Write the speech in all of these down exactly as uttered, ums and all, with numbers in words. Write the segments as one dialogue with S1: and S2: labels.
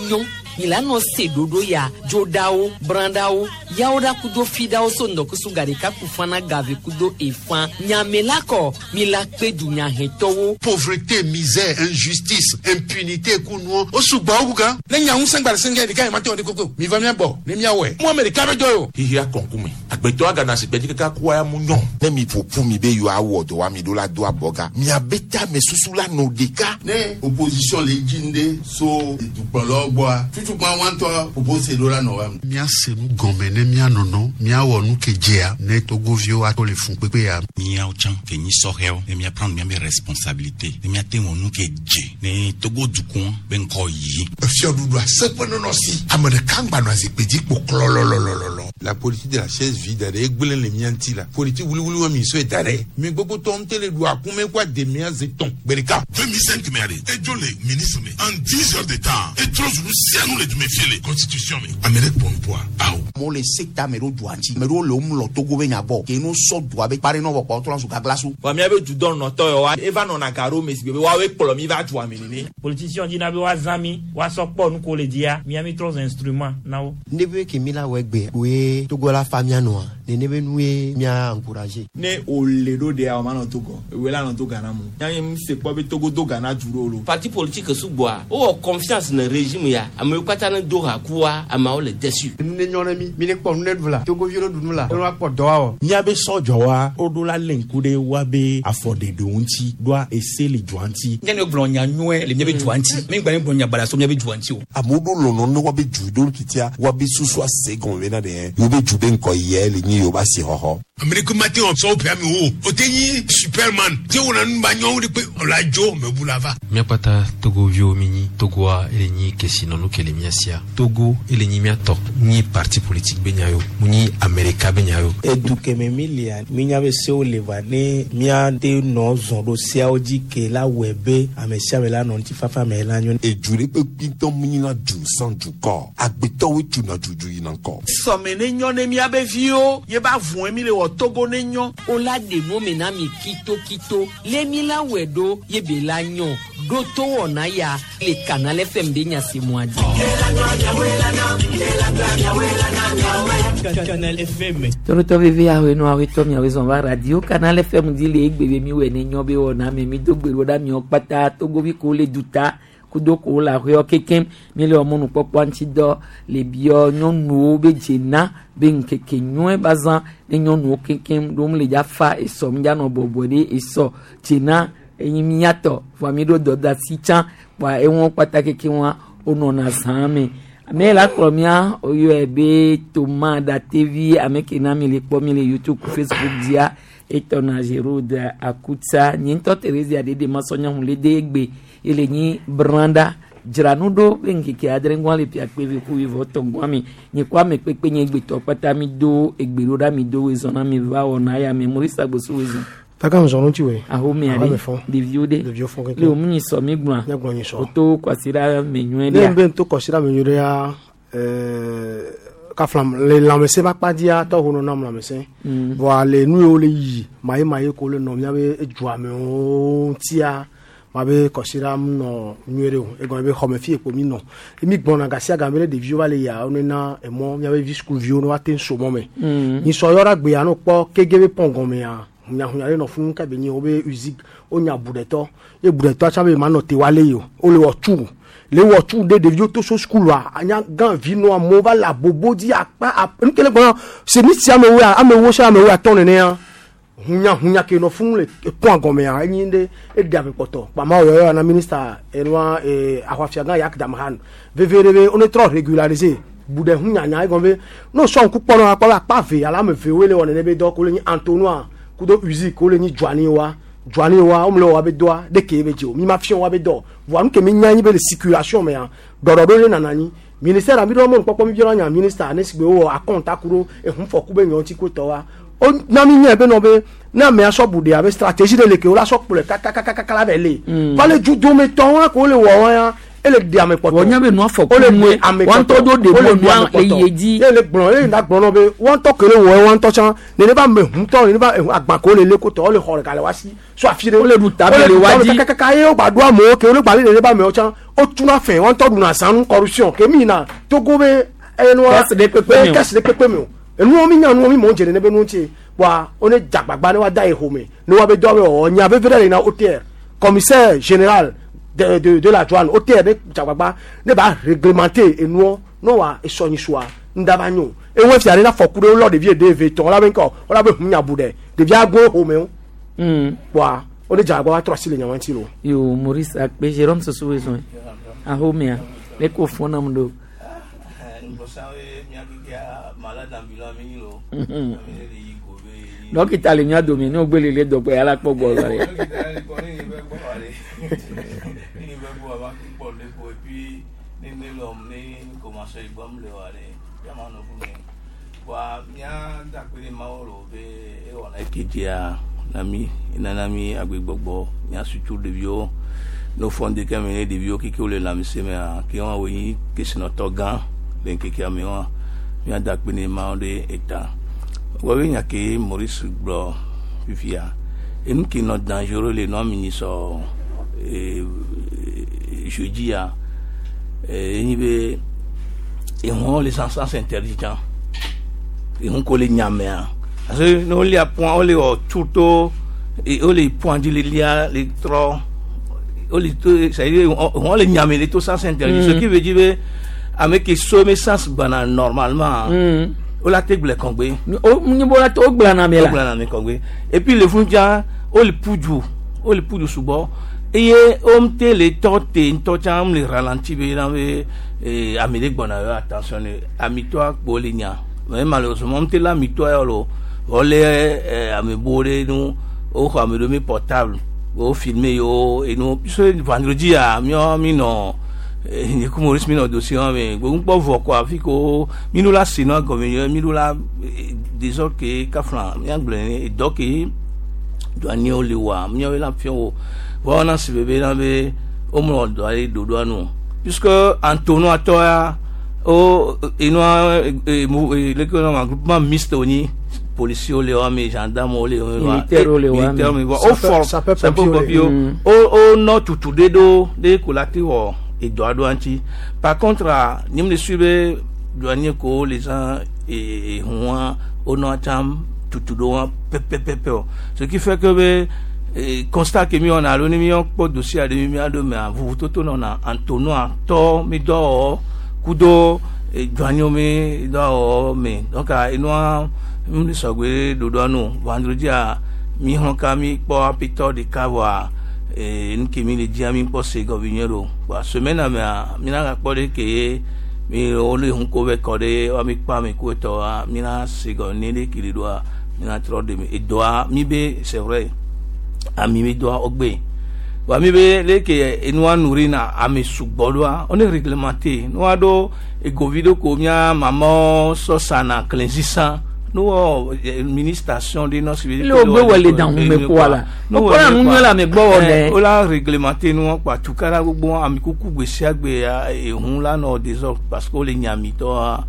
S1: nyɔ mi la nɔ se ɖoɖo ya dzoɖawo brãɖawo yawo ɖa kudo fiɖawo so ŋdɔkusu gaɖeka ku fana gave kudo efã nyame la kɔ mi la kpe dunyahetɔwo.
S2: Pauvreté, misère, injustice, impunité kunuɔ o sugbɔ wu gan.
S3: Ne nya ŋusẽ gba le sɛngɛ ɖeka yi ma te wɔ ɖe koko mi va mia gbɔ ne mia wɔe mu ame ɖeka be dɔ ye o.
S4: Xixia kɔnkume agbetɔ agana si gbɛdzi kaka kua ya mu nyɔ.
S5: Ne mi ƒoƒu mi be yewoawɔ dɔ wa mi ɖo la do abɔga miabe tame susu la nɔ ɖeka.
S6: Ne opposition le dzi ŋɖe so dukplɔlawo gbɔa tutukpa wa ŋutɔ propose ɖo la nɔ wa.
S2: Míase nu gɔme ne míanɔnɔ míawɔ nu ke dzea ne togoviwo ato le fun kpekpe ya.
S7: Míawo tsã ke nyi sɔhɛwo ne míaprendre míabe responsabilité ne míate wɔ nu ke dze ne Togo dukɔ be ŋkɔ yi.
S5: Fiɔɖuɖu aseƒe nɔnɔ si ame ɖeka ŋgba nɔ zikpui dzi kpo klɔlɔlɔlɔlɔ.
S3: La politique de la chaise vide ɖe egblẽ le mía ŋuti la politique wuliwuli wa mi sɔe da ɖe mi gbogbo tɔ ŋute le ɖu akume kó ademea ze tɔn gbe ɖeka.
S8: deux mille cinq mɛ de edzo le ministre me en dix heures de temps etrɔ zunu sianu le dume fie le constitution me ame ɖe kpɔ nupoa awo.
S9: Amewo le sekta me ɖo dua ŋuti ame ɖewo le wo mlɔ Togo be nya gbɔ ke no sɔ dua be kpare nɔ vɔ kpɔ trɔ zu gagla so.
S10: Wa míabe dudɔnɔtɔ yɔ wa eva nɔna gaɖo me si gbe be woawoe kplɔ mi va dua me nene.
S11: Politicien dina be woazã mi woasɔ kpɔ nu ko le dzia mía mi trɔ zu instrument na wo.
S12: Ne be ke mi la wɔ egbe woe Togo la fa mía nɔa nene be nu ye mía encourager.
S10: Ne o le ɖo ɖea o ma nɔ Togo ewoe la nɔ to Ghana mu yanyi mu se kpɔ be Togo do Ghana du ɖo lo.
S13: Parti politique sugbɔa wowɔ confiance ne régime ya amewo katã ne do ha kua ameawo le déçu.
S12: Nu ne nyɔ ne mi mi ne kpɔ nu ne ɖu la Togoviwo ne ɖu nu la ne woakpɔ dɔ awɔ.
S14: Míabe sɔdzɔwa woɖo la lé ŋku ɖe woabe afɔɖeɖewo ŋuti ɖoa ese le dua ŋuti.
S15: Nye ne gblɔ nya nyuie le míabe dua ŋuti mi gba ne gblɔ nya baɖa so míabe dua ŋuti o.
S5: Amewo ɖo lɔlɔ ne woabe du ɖo titia woabe susu ase gɔme bena ɖe yewo be du be ŋkɔ yɛ le nyi yewo be asixɔxɔ.
S8: Ame ɖeke ma te wɔ sɔwo ƒe ame wo o te nyi superman te wɔna nu ba nyɔwo de kpe ɔla dzo mebu la va.
S16: Míakpata togoviwo mi nyi Togoa ele nyi kesinɔnu ke le mía sia Togo ele nyi míatɔ nyi parti politique be nya yo mu nyi Amerika be nya yo.
S17: Edu keme mi lia minya be sewo le va ne míate nɔ zɔn ɖo seawo dzi ke la wɔe be ame sia ame la nɔ ŋutifafa me la nyo.
S5: Edu ɖe kpekpe ŋutɔ mu nyina du sans dukɔ agbetɔwoe tuna dudu yina ŋkɔ.
S10: Sɔme ne nyɔ ne míabe viwo ye ba vɔe mi le wɔ Togo ne nyɔ.
S1: O la ɖe nu me na mi kitokito lé mi la wɔe ɖo ye be la nyɔ ɖo to wɔna ya le Canal F M be nyasemua dzi.
S18: Canal F M.
S1: Torotɔ veve ahoe no ahoe tɔ miawoe zɔn va radio Canal F M dzi le egbe be mi wɔe ne nyɔ be wɔna me mi do gbe ɖo ɖa miawo kpata togovi ko le duta kudo ko le ahoewo kekem mi le mɔnukpɔkpɔ ŋuti dɔ le biɔ nyɔnuwo be dzena be ŋkeke nyɔe ba zã ne nyɔnuwo kekem ɖo mu le dza fa esɔ mi dza nɔ bɔbɔe ɖe esɔ dzena enyi miatɔ vɔa mi ɖo dɔdasi tsã kpoa eŋuwo kpata keke wa wonɔna zã me ame la kplɔ mía woyɔe be Toma Datevi ame ke na mi le kpɔ mi le YouTube, Facebook dzia etɔna Gerode Akutsa nye ŋutɔ Theresia ɖeɖe masɔnyɔnu le de egbe ele nyi branda dzra nu ɖo be ŋkeke adre ŋgɔa le pia kpe ku wivɔ tɔ ŋgɔa mi nye kɔ ame kpekpe nye egbetɔ kpata mi do egbe ɖo ɖa mi do wezɔn na mi va wɔna ya me Maurice Agbosu wezɔn.
S19: Taka nzɔnu ti we.
S1: Ahomea ɖe ɖeviwo ɖe
S19: ɖeviwo fɔ keke.
S1: Le wo mu nyi sɔ mi gblɔa.
S19: Ne gblɔ nyi sɔ.
S1: O to kwasiɖa me nyuie
S19: Ne
S1: ɖea.
S19: be to kɔsiɖa me nyuie ɖea ɛɛ kafla le lãmesẽ ƒe akpa dzia tɔ ho nɔ nam lãmesẽ.
S1: Mm.
S19: Vɔa le nu yiwo le yi maye ko le nɔ míabe edua me wo ŋutia ma be kɔsiɖa mu nɔ nyuie ɖe o egɔme be xɔme fi ekpo mi nɔ mi gbɔna gasia game ɖe ɖeviwo va le yia wo nena emɔ míabe vi sukuviwo ne woate ŋu so mɔ me.
S1: Mm.
S19: Nyisɔ yɔ ɖe agbea no kpɔ kege be pɔn gɔmea hunyahunya ɖe nɔ funu ke be nyi wobe usine wonya buɖetɔ ye buɖetɔa tsã be ma nɔ te wa le yi o wole wɔ tu le wɔ tu ɖe ɖeviwo to so sukulua anya gã vi nɔ amewo va le abobo dzi akpa ap nu ke le gbɔna semi sia amewo ya amewo sia amewo atɔ nenea hunyahunya ke nɔ funu le pɔn gɔmea enyi ɖe eɖe ame kpɔtɔ kpama wo yɔyɔ na minista enua ee ahɔafiagã Yak Damhan veve ɖe be wone trɔ régulariser bu ɖe hunyanya egɔme be ne sɔ ŋku kpɔ nɔ akpɔ be akpa ve alo ame ve woe le wɔ nene be dɔ ko le nyi Antonioa kudo usine ko le nyi Dzuani wa Dzuani wa wo le wɔ wa be dɔa ɖeke be dzi o mi ma fiɔ wa be dɔ voa nu ke mi nya nyi be le circulation mea ɖɔɖɔɖo le nana anyi ministère mi ɖo mɔnukpɔkpɔ mi biɔ nya ministre ne si gbe wowɔ akɔnta ku ɖo ehunfɔku be nyɔ ŋuti ko tɔ wa o na mi nya be nɔ be ne amea sɔ bu ɖe abe stratégie ɖe le ke wo la sɔ kplɔe kakakakaka la vɛ le
S1: Mm.
S19: va le dudome tɔwo ko le wɔ wa ya Ele di ame kpɔtɔ.
S1: Wọ́n nyɛ bɛ nua fɔ
S19: Ole
S1: kunu
S19: di
S1: ye
S19: ame
S1: wɔn tɔ do de
S19: Ole
S1: bɔ
S19: di ame
S1: nua le
S19: kpɔtɔ.
S1: ye dzi.
S19: Ye le gblɔ ye na gblɔ nɔ be wɔntɔ kele wɔ wɔntɔ tsã nene ba me huntɔ nene ba agbako le le kotɔ wole xɔ ɖeka le wa si so afi ɖe.
S1: Wole ɖu tabe le wa dzi.
S19: Kakaka ye wogba ɖo amewo ke wole gba le nene ba amewo tsã wotuna fɛ wɔntɔ ɖuna sanu corruption ke mi yina Togo be enua
S1: Kɛse ɖe kpekpe me o.
S19: kɛse ɖe kpekpe me o. Enuwo mi nya nuwo mi mɔ dze nene be nuwo tse wa wone dzagbagba ne wa da yi xɔme ne wa be dɔ be wɔwɔ nya veve ɖe le na O T R commissaire général de de de la douane O T R ne dzagbagba ne ba réglementer enuwo ne wa esɔnyisua ŋdava nyo ewe fia ne na fɔku ɖe wolɔ ɖevi ede eve tɔn wala be ŋkɔ wala be hu nya bu ɖe ɖevia go xɔme wo wa wone dzagbagba wa trɔ asi le nyawo ŋuti lo.
S1: Yo Maurice Akpe Jérôme Soso wezɔn ahomea le ko fɔn nam do. Dɔkita le mía dome ne wogbe lele dɔgbe ala kpɔ gbɔ lɔ rɛ.
S13: Kejia nami nana mi agbegbɔgbɔ míasutu ɖeviwo no fɔnde ke me ne ɖeviwo keke wole lãmesẽ mea ke wɔn wonyi kesinɔtɔ gã le ŋkekea me wɔn míada akpe ne mawo ɖe eta wɔbe nya ke Maurice gblɔ fifia enu ke nɔ dangereux le nɔ mi nyi sɔ ee jeudi ya ee enyi be ehɔn le sans sens interdit tsã ehun ko le nyamea parce que ne wolia point wole wɔ tuto wole point dzi le lia le trɔ wole to c'est à dire ehɔn le nyame le to sens interdit, ce qui veut dire be ame ke so me sens gbana normalement
S1: Mm.
S13: wola te gblẽ kɔgbe.
S1: O nyibɔ la to o gblẽ na mi la.
S13: O gblẽ na mi kɔgbe et puis le fundzia wole ƒu wole ƒu sugbɔ eye womte le tɔ te ŋutɔ tsã le ralenti be na be ee ame ɖe gbɔna yɔ attention ne amitɔa kpo le nya mais malheureusement womte le amitɔa yɔ lo wole ɛɛ ame bo ɖe nu woxɔ ame ɖewo mi portable wo filmer yewo enu puisque vendredi a miɔ mi nɔ nye ku Maurice mi nɔ dossier wa me gbogbo vɔ kɔ afi ko mi ɖo la se nua gɔme yɔ mi ɖo la désordre ke kafla miagblɔ ne dɔ ke douanier le wa miawo la fiɔ wo vɔ na si bebe na be womlɔ dɔ aɖe ɖoɖoa nu puisque entonnoir tɔ ya o enua leke wɔna groupement mixte wonyi policiers le wa me gendarme le wa
S1: Militaire le wa me.
S13: militaire me vɔ o fɔ
S19: Sapeur-pompier
S13: sapeur-pompier
S1: Mm.
S13: o o nɔ tutu ɖe ɖo ɖe ko la te wɔ edɔ aɖewo ŋuti. Par contre a nye me le su be douanier ko le zã ehua wonɔ tsã tutu ɖo wa pɛpɛpɛpɛ o, ce qui fait que be eh, constat ke mi wɔna alo ne mi kpɔ dossier aɖe mi mia ɖo mea vovototo nɔna entonnoir tɔ mi dɔ wɔwɔ kudo eh, douanier mi dɔ wɔwɔ me. Donc a enua mi sɔgbe ɖoɖoa nu vendredi a mi xlɔ ka mi kpɔ apitɔ ɖeka vɔa ee nu ke mi le dzia mi kpɔ se gɔme nyuie ɖo wa semaine mea mi na gakpɔ ɖe ke ye mi wole ŋu ko vɛ kɔ ɖe wa mi kpɔ ame ku etɔ wa mi na se gɔme ne ɖe kele ɖoa mi na trɔ ɖe me edɔa mi be c'est vrai ami mi dɔa wogbe wa mi be le ke enua nuri na ame sugbɔ ɖoa wone réglementé nua ɖo egovi ɖo ko mía mamawo sɔ sana klẽsisa nuwɔ ministration ɖe nɔ si be
S1: Le wogbe wɔ le dan hume kpoa la. Wokpɔna nu nyuie le ame gbɔ wɔ nɛ.
S13: o la réglementé nuwɔ kpa tukara gbogbo ame kuku gbe sia gbe ya ehun la nɔ désordre parce que wole nyamitɔa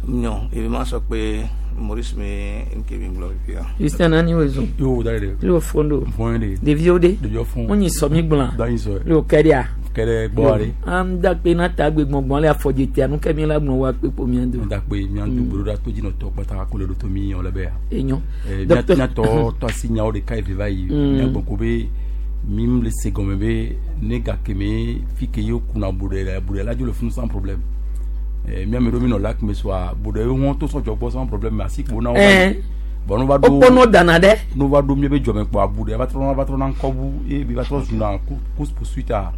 S13: nyɔ ebe ma sɔ kpe Maurice me nke mi gblɔ fifia.
S1: Christian nani wezɔn.
S18: Yo da de.
S1: Le wo fɔn do.
S18: Fɔn de.
S1: Ɖeviwo ɖe.
S18: Ɖeviwo fɔn.
S1: Wonyi sɔ mi gblɔa.
S18: Da nyi sɔ.
S1: Le wo kɛ ɖea.
S18: Kɛ ɖe gbɔ ɖe.
S1: Am da kpe na ta gbe gbɔngbɔn le afɔdze nu ke mi la gblɔ wa kpe kpo mia do.
S18: Da kpe mia do gbolo ɖa to dzi nɔ tɔ kpata ko le ɖo to mi yɔ le be ya.
S1: Enyo.
S18: Eh,
S1: Docteur-
S18: mia tɔ tɔ asi nyawo ɖeka eve va yi.
S1: Mm.
S18: Mia gbɔ ko be mi le se gɔme be ne gake me fi ke ye kuna bo ɖe la bo ɖe la dzo le funu sans problème. Eh, mia me ɖo mi nɔ lac me soa bo ɖe ye wɔn to sɔdzɔ gbɔ sans problème mais asi kpo na wo.
S1: Eh.
S18: Bon no va ɖo.
S1: Wokpɔnɔ dana ɖe.
S18: No va ɖo mia be dzɔme kpɔ abu ɖe va trɔ va trɔ na ŋkɔbu eye bi va trɔ zuna course poursuite a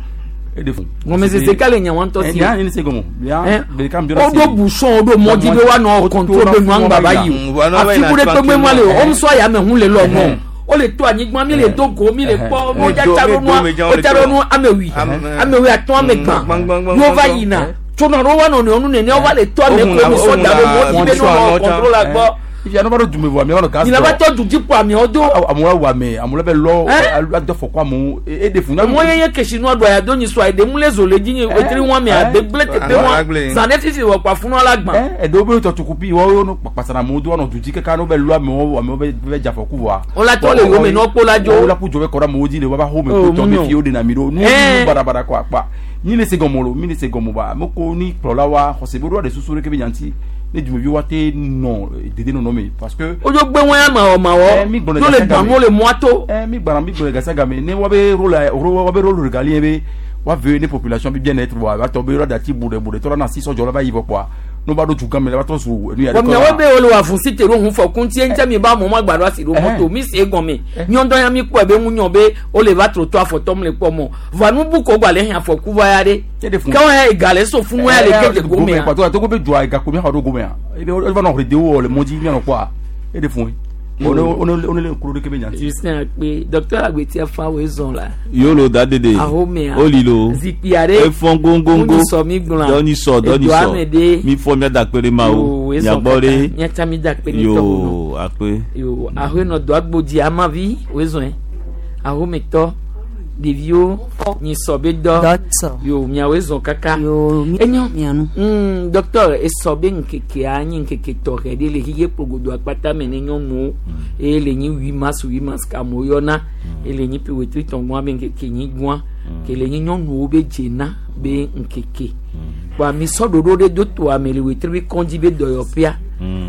S18: e de fun.
S1: Gɔmesese ka le nya wa ŋutɔ si.
S18: Nya ni se gɔmɔ.
S1: Eh,
S18: Ɖeka mi
S1: woɖo bouchon woɖo mɔdzi be woanɔ contrôle be nua ŋgba va yi o afi ku ɖe kpekpe ma le o womusɔ ya me hu le lɔ ŋɔ o le to anyigba mi le do go mi le kpɔ mo dza tsa ɖo nua o tsa ɖo nu ame wi ame wi atɔ̃ ame gbã yewo va yina tsonɔ ɖo wa nɔnɔewo nu nene wova le to ame ko mi sɔ da ɖo mɔdzi be nɔ contrôle la gbɔ.
S18: Ifi anɔ ba ɖo dume vɔ amewo nɔ gas.
S1: Mi la va tɔ du dzi kpɔ amewo do.
S18: Amewo wɔ ame amewo bɛ lɔ adɔ fɔkɔ amewo e de fun.
S1: Amewo ye nye kesinɔ ɖo ya do nyi sɔ eɖe mu le zo le dzi nye wetri wɔn me ade gble teƒe wɔn zan ɖe fifi wɔ kpa funu la gbã.
S18: Eɖewo be tɔtsukupi wɔwo no kpasara amewo do wɔnɔ du dzi kaka no bɛ lɔ amewo amewo bɛ bɛ dze afɔku vɔa.
S1: Wola tɔ le wo me nɔ kpo la dzo.
S18: Wola ku dzo bɛ kɔ ɖe amewo dzi le woava xɔ me ko tɔ be fi wo ɖena mi ɖo nu nu baɖabaɖa kɔ akpa mi le se gɔmɔ lo mi le se gɔmɔ ba ame ko ni kplɔla wa xɔse be ɖo ɖe susu ɖe ke be nyanti ne dumevi wa te nɔ dede nɔnɔ me parce que.
S1: O dzo gbe wọn ya mawɔ mawɔ tó le gbanu le mɔa to.
S18: Ɛ mi gbana mi gbana gasa game ne wa be rôle wa be rôle régalien be wa veiller ne population bi bien être wa tɔ be yɔrɔ dati buɖe buɖe tɔ la na sisɔ jɔ la va yi vɔ kpɔa n'o b'a do dugan mi la ba tɔ su enu yɛrɛ
S1: kɔ. Miawo be wole wɔ afunsi te ɖo hun fɔ kuntie ŋutia mi ba mɔ ma gba ɖo asi ɖo mɔto mi se egɔme nyɔdɔ ya mi kpɔe be ŋu nyɔ be wole va trotɔ afɔtɔ mu le kpɔ mɔ vɔa nu bu ko gba le hɛn afɔku va ya ɖe kɛwɔ ya ega le so funu ya le ke de gome ya.
S18: Pàtó àti be jɔ ega ko mi xɔ ɖo gome ya e va nɔ xɔ de wɔ le mɔ dzi mianɔ kpɔa e de fun ye. One one le kuro de kebe nyanti.
S1: Justin Akpe docteur Agbeti afa wo ezɔn la.
S20: Yolo da dede.
S1: Ahomea.
S20: Olilo.
S1: Zikpui aɖe.
S20: Efɔn góngóngó.
S1: Ŋunyisɔ mi gblɔa.
S20: Dɔnisɔ dɔnisɔ.
S1: Edo ame ɖe.
S20: Mi fɔ mia da kpe ɖe ma o. Miagbɔ ɖe.
S1: Miatsa mi da kpe ne
S20: tɔ. Yo akpe.
S1: Yo ahoenɔ do agbodzi amavi wo ezɔn ahometɔ ɖeviwo nyisɔ be dɔ. Yo miawo ezɔn kaka.
S21: Yo
S1: enyo
S21: mianu.
S1: Mm, docteur esɔ be ŋkekea nye ŋkeke tɔxɛ ɖe le xixe kplogodo akpata me ne nyɔnuwo eye le nyi huit mars huit mars ke amewo yɔna eye le nyi ƒe tɔgbɔa be ŋkeke nyi gbɔa ke le nyi nyɔnuwo be dzena be ŋkeke kpoa mi sɔ ɖoɖo ɖe do toa me le wetri be kɔndzi be dɔyɔƒea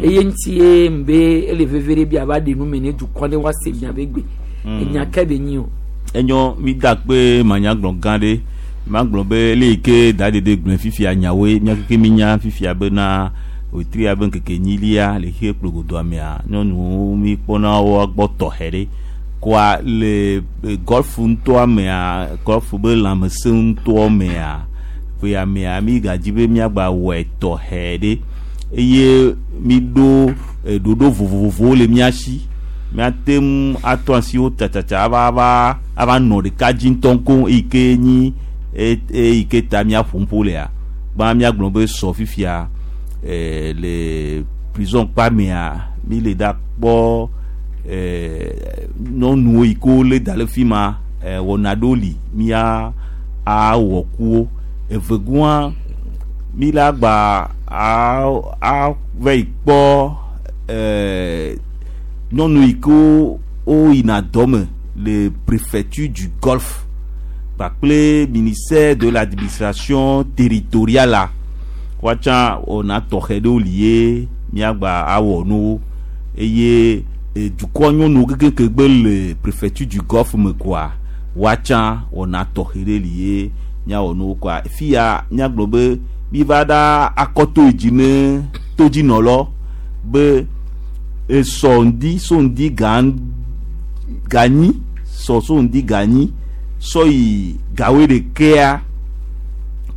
S1: eye ŋuti ye be ele veve ɖe bi ava ɖe nu me ne dukɔ ne woase mia be gbe enya ke be nyi o.
S20: Enyo mi da kpe manyagblɔ gã ɖe magblɔ be le yi ke da ɖeɖe gblẽ fifia nyawoe mía keke mi nya fifia bena wetri abe ŋkeke nyilia le xie kplogodoa mea nyɔnuwo mi kpɔna woa gbɔ tɔxɛ ɖe koa le golf ŋutɔa mea golf be lãmesẽ ŋutɔ mea ƒea mea mi gadzi be miagba wɔe tɔxɛ ɖe eye mi ɖo ɖoɖo vovovowo le mía si miate ŋu atɔ asiwo tsatsatsa ava ava ava nɔ ɖeka dzi ŋutɔ koŋ eyi ke nyi eyi ke ta miaƒo ƒo lea gbã miagblɔ be sɔ fifia ɛɛ le prison kpa mea mi le da kpɔ ɛɛ nyɔnuwo yi ke wole da le fi ma ɛɛ wɔna ɖewo li mia awɔ kuwo evegɔa mi la gba a a va yi kpɔ ɛɛ nyɔnu yi ke wo yina dɔme le préfecture du Golfe kpakple ministère de l'administration territoriale la woatsa wɔna tɔxɛ ɖewo li ye miagba awɔ nuwo eye dukɔ nyɔnuwo kekeake gbe le préfecture du Golfe me koa woatsa wɔna tɔxɛ ɖe li ye miawɔ nuwo koa fia miagblɔ be mi va ɖa akɔto yi dzi ne todzinɔlɔ be esɔ ŋdi so ŋdi ga ganyi sɔ so ŋdi ganyi sɔ yi gawe ɖekea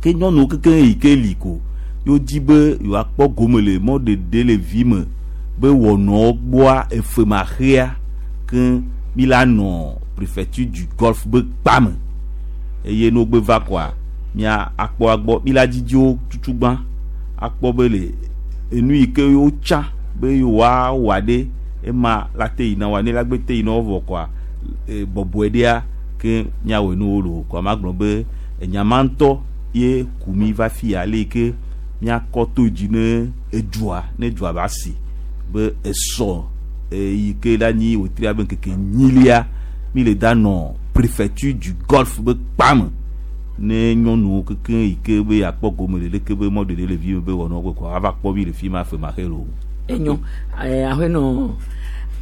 S20: ke nyɔnuwo keke yi ke li ko yewo dzi be yewoakpɔ gome le mɔɖeɖe le vi me be wɔnɔwo gbɔa efe ma xea ke mi la nɔ préfecture du Golfe be kpa me eye ne wogbe va koa mia akpɔ agbɔ mi la dzidziwo tutugbã akpɔ be le enu yi ke wotsa be yewoa wɔ ɖe ema la te yina wa ne la gbe te yina wo vɔ koa bɔbɔe ɖea ke miawɔe nuwo lo koa magblɔ be enyama ŋutɔ ye ku mi va fi ya le yi ke miakɔ to dzi ne edua ne dua ba si be esɔ eyi ke la nyi wetri abe ŋkeke nyilia mi le da nɔ préfecture du Golfe be kpa me ne nyɔnuwo keke yi ke be akpɔ gome le leke be mɔɖeɖe le vi me be wɔnɔ ko ava kpɔ mi le fi ma fe ma xe lo.
S1: Enyo ahoenɔ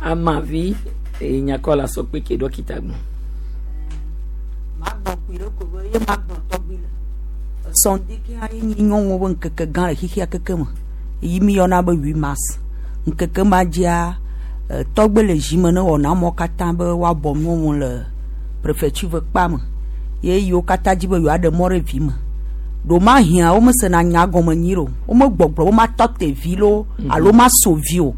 S1: amavi enyakɔ la sɔ kpe ke dɔkita gbɔ.
S21: Magblɔ kpui ɖe ko be ye magblɔ tɔgbi le. Sɔndeke ye nyi nyɔnuwo be ŋkeke gã le xixia keke me yi mi yɔna be huit mars. Ŋkeke ma dzia tɔgbe le zi me ne wɔna amewo katã be woabɔ nyɔnuwo le préfecture ve kpa me ye yiwo katã dzi be yewoaɖe mɔ ɖe vi me. Ɖomahia womesena nya gɔme nyi o. Womegbɔgblɔ be matɔ te vi loo alo maso vi o.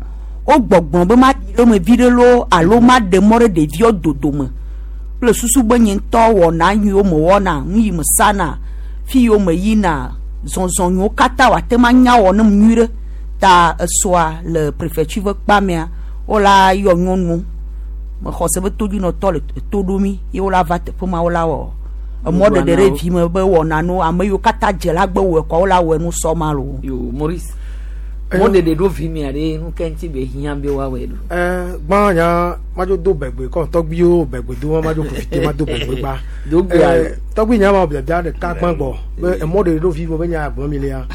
S21: Wogbɔgblɔ be maɖi ɖe me vi ɖe loo alo maɖe mɔ ɖe ɖeviwo dodome. Kple susu be nye ŋutɔ wɔna nyuiwo mewɔna, nu yi mesana, fi yiwo meyina, zɔzɔ nyuiwo katã wòate ŋu anya wɔ nem nyui ɖe. Ta esɔa le préfecture ƒe kpa mea wola yɔ nyɔnuwo mexɔ se be todzinɔtɔ le to ɖo mi ye wola va teƒe ma wola wɔ emɔɖeɖe ɖe vi me be wɔna nu ame yiwo katã dze la gbe wɔe kɔ wola wɔe nu sɔ ma lo.
S1: Yo Maurice mɔɖeɖe ɖo vi mea ɖe nu ke ŋuti be hiã be woawɔe ɖo.
S19: Ɛɛ gbã nya madzo do bɛgbe kɔ tɔgbiwo bɛgbe do ma madzo profite ma do bɛgbe gba.
S1: Do gbe alo.
S19: Tɔgbi nya ma biabia ɖeka gbã gbɔ be emɔɖeɖe ɖo vi me be nya gblɔm mi lea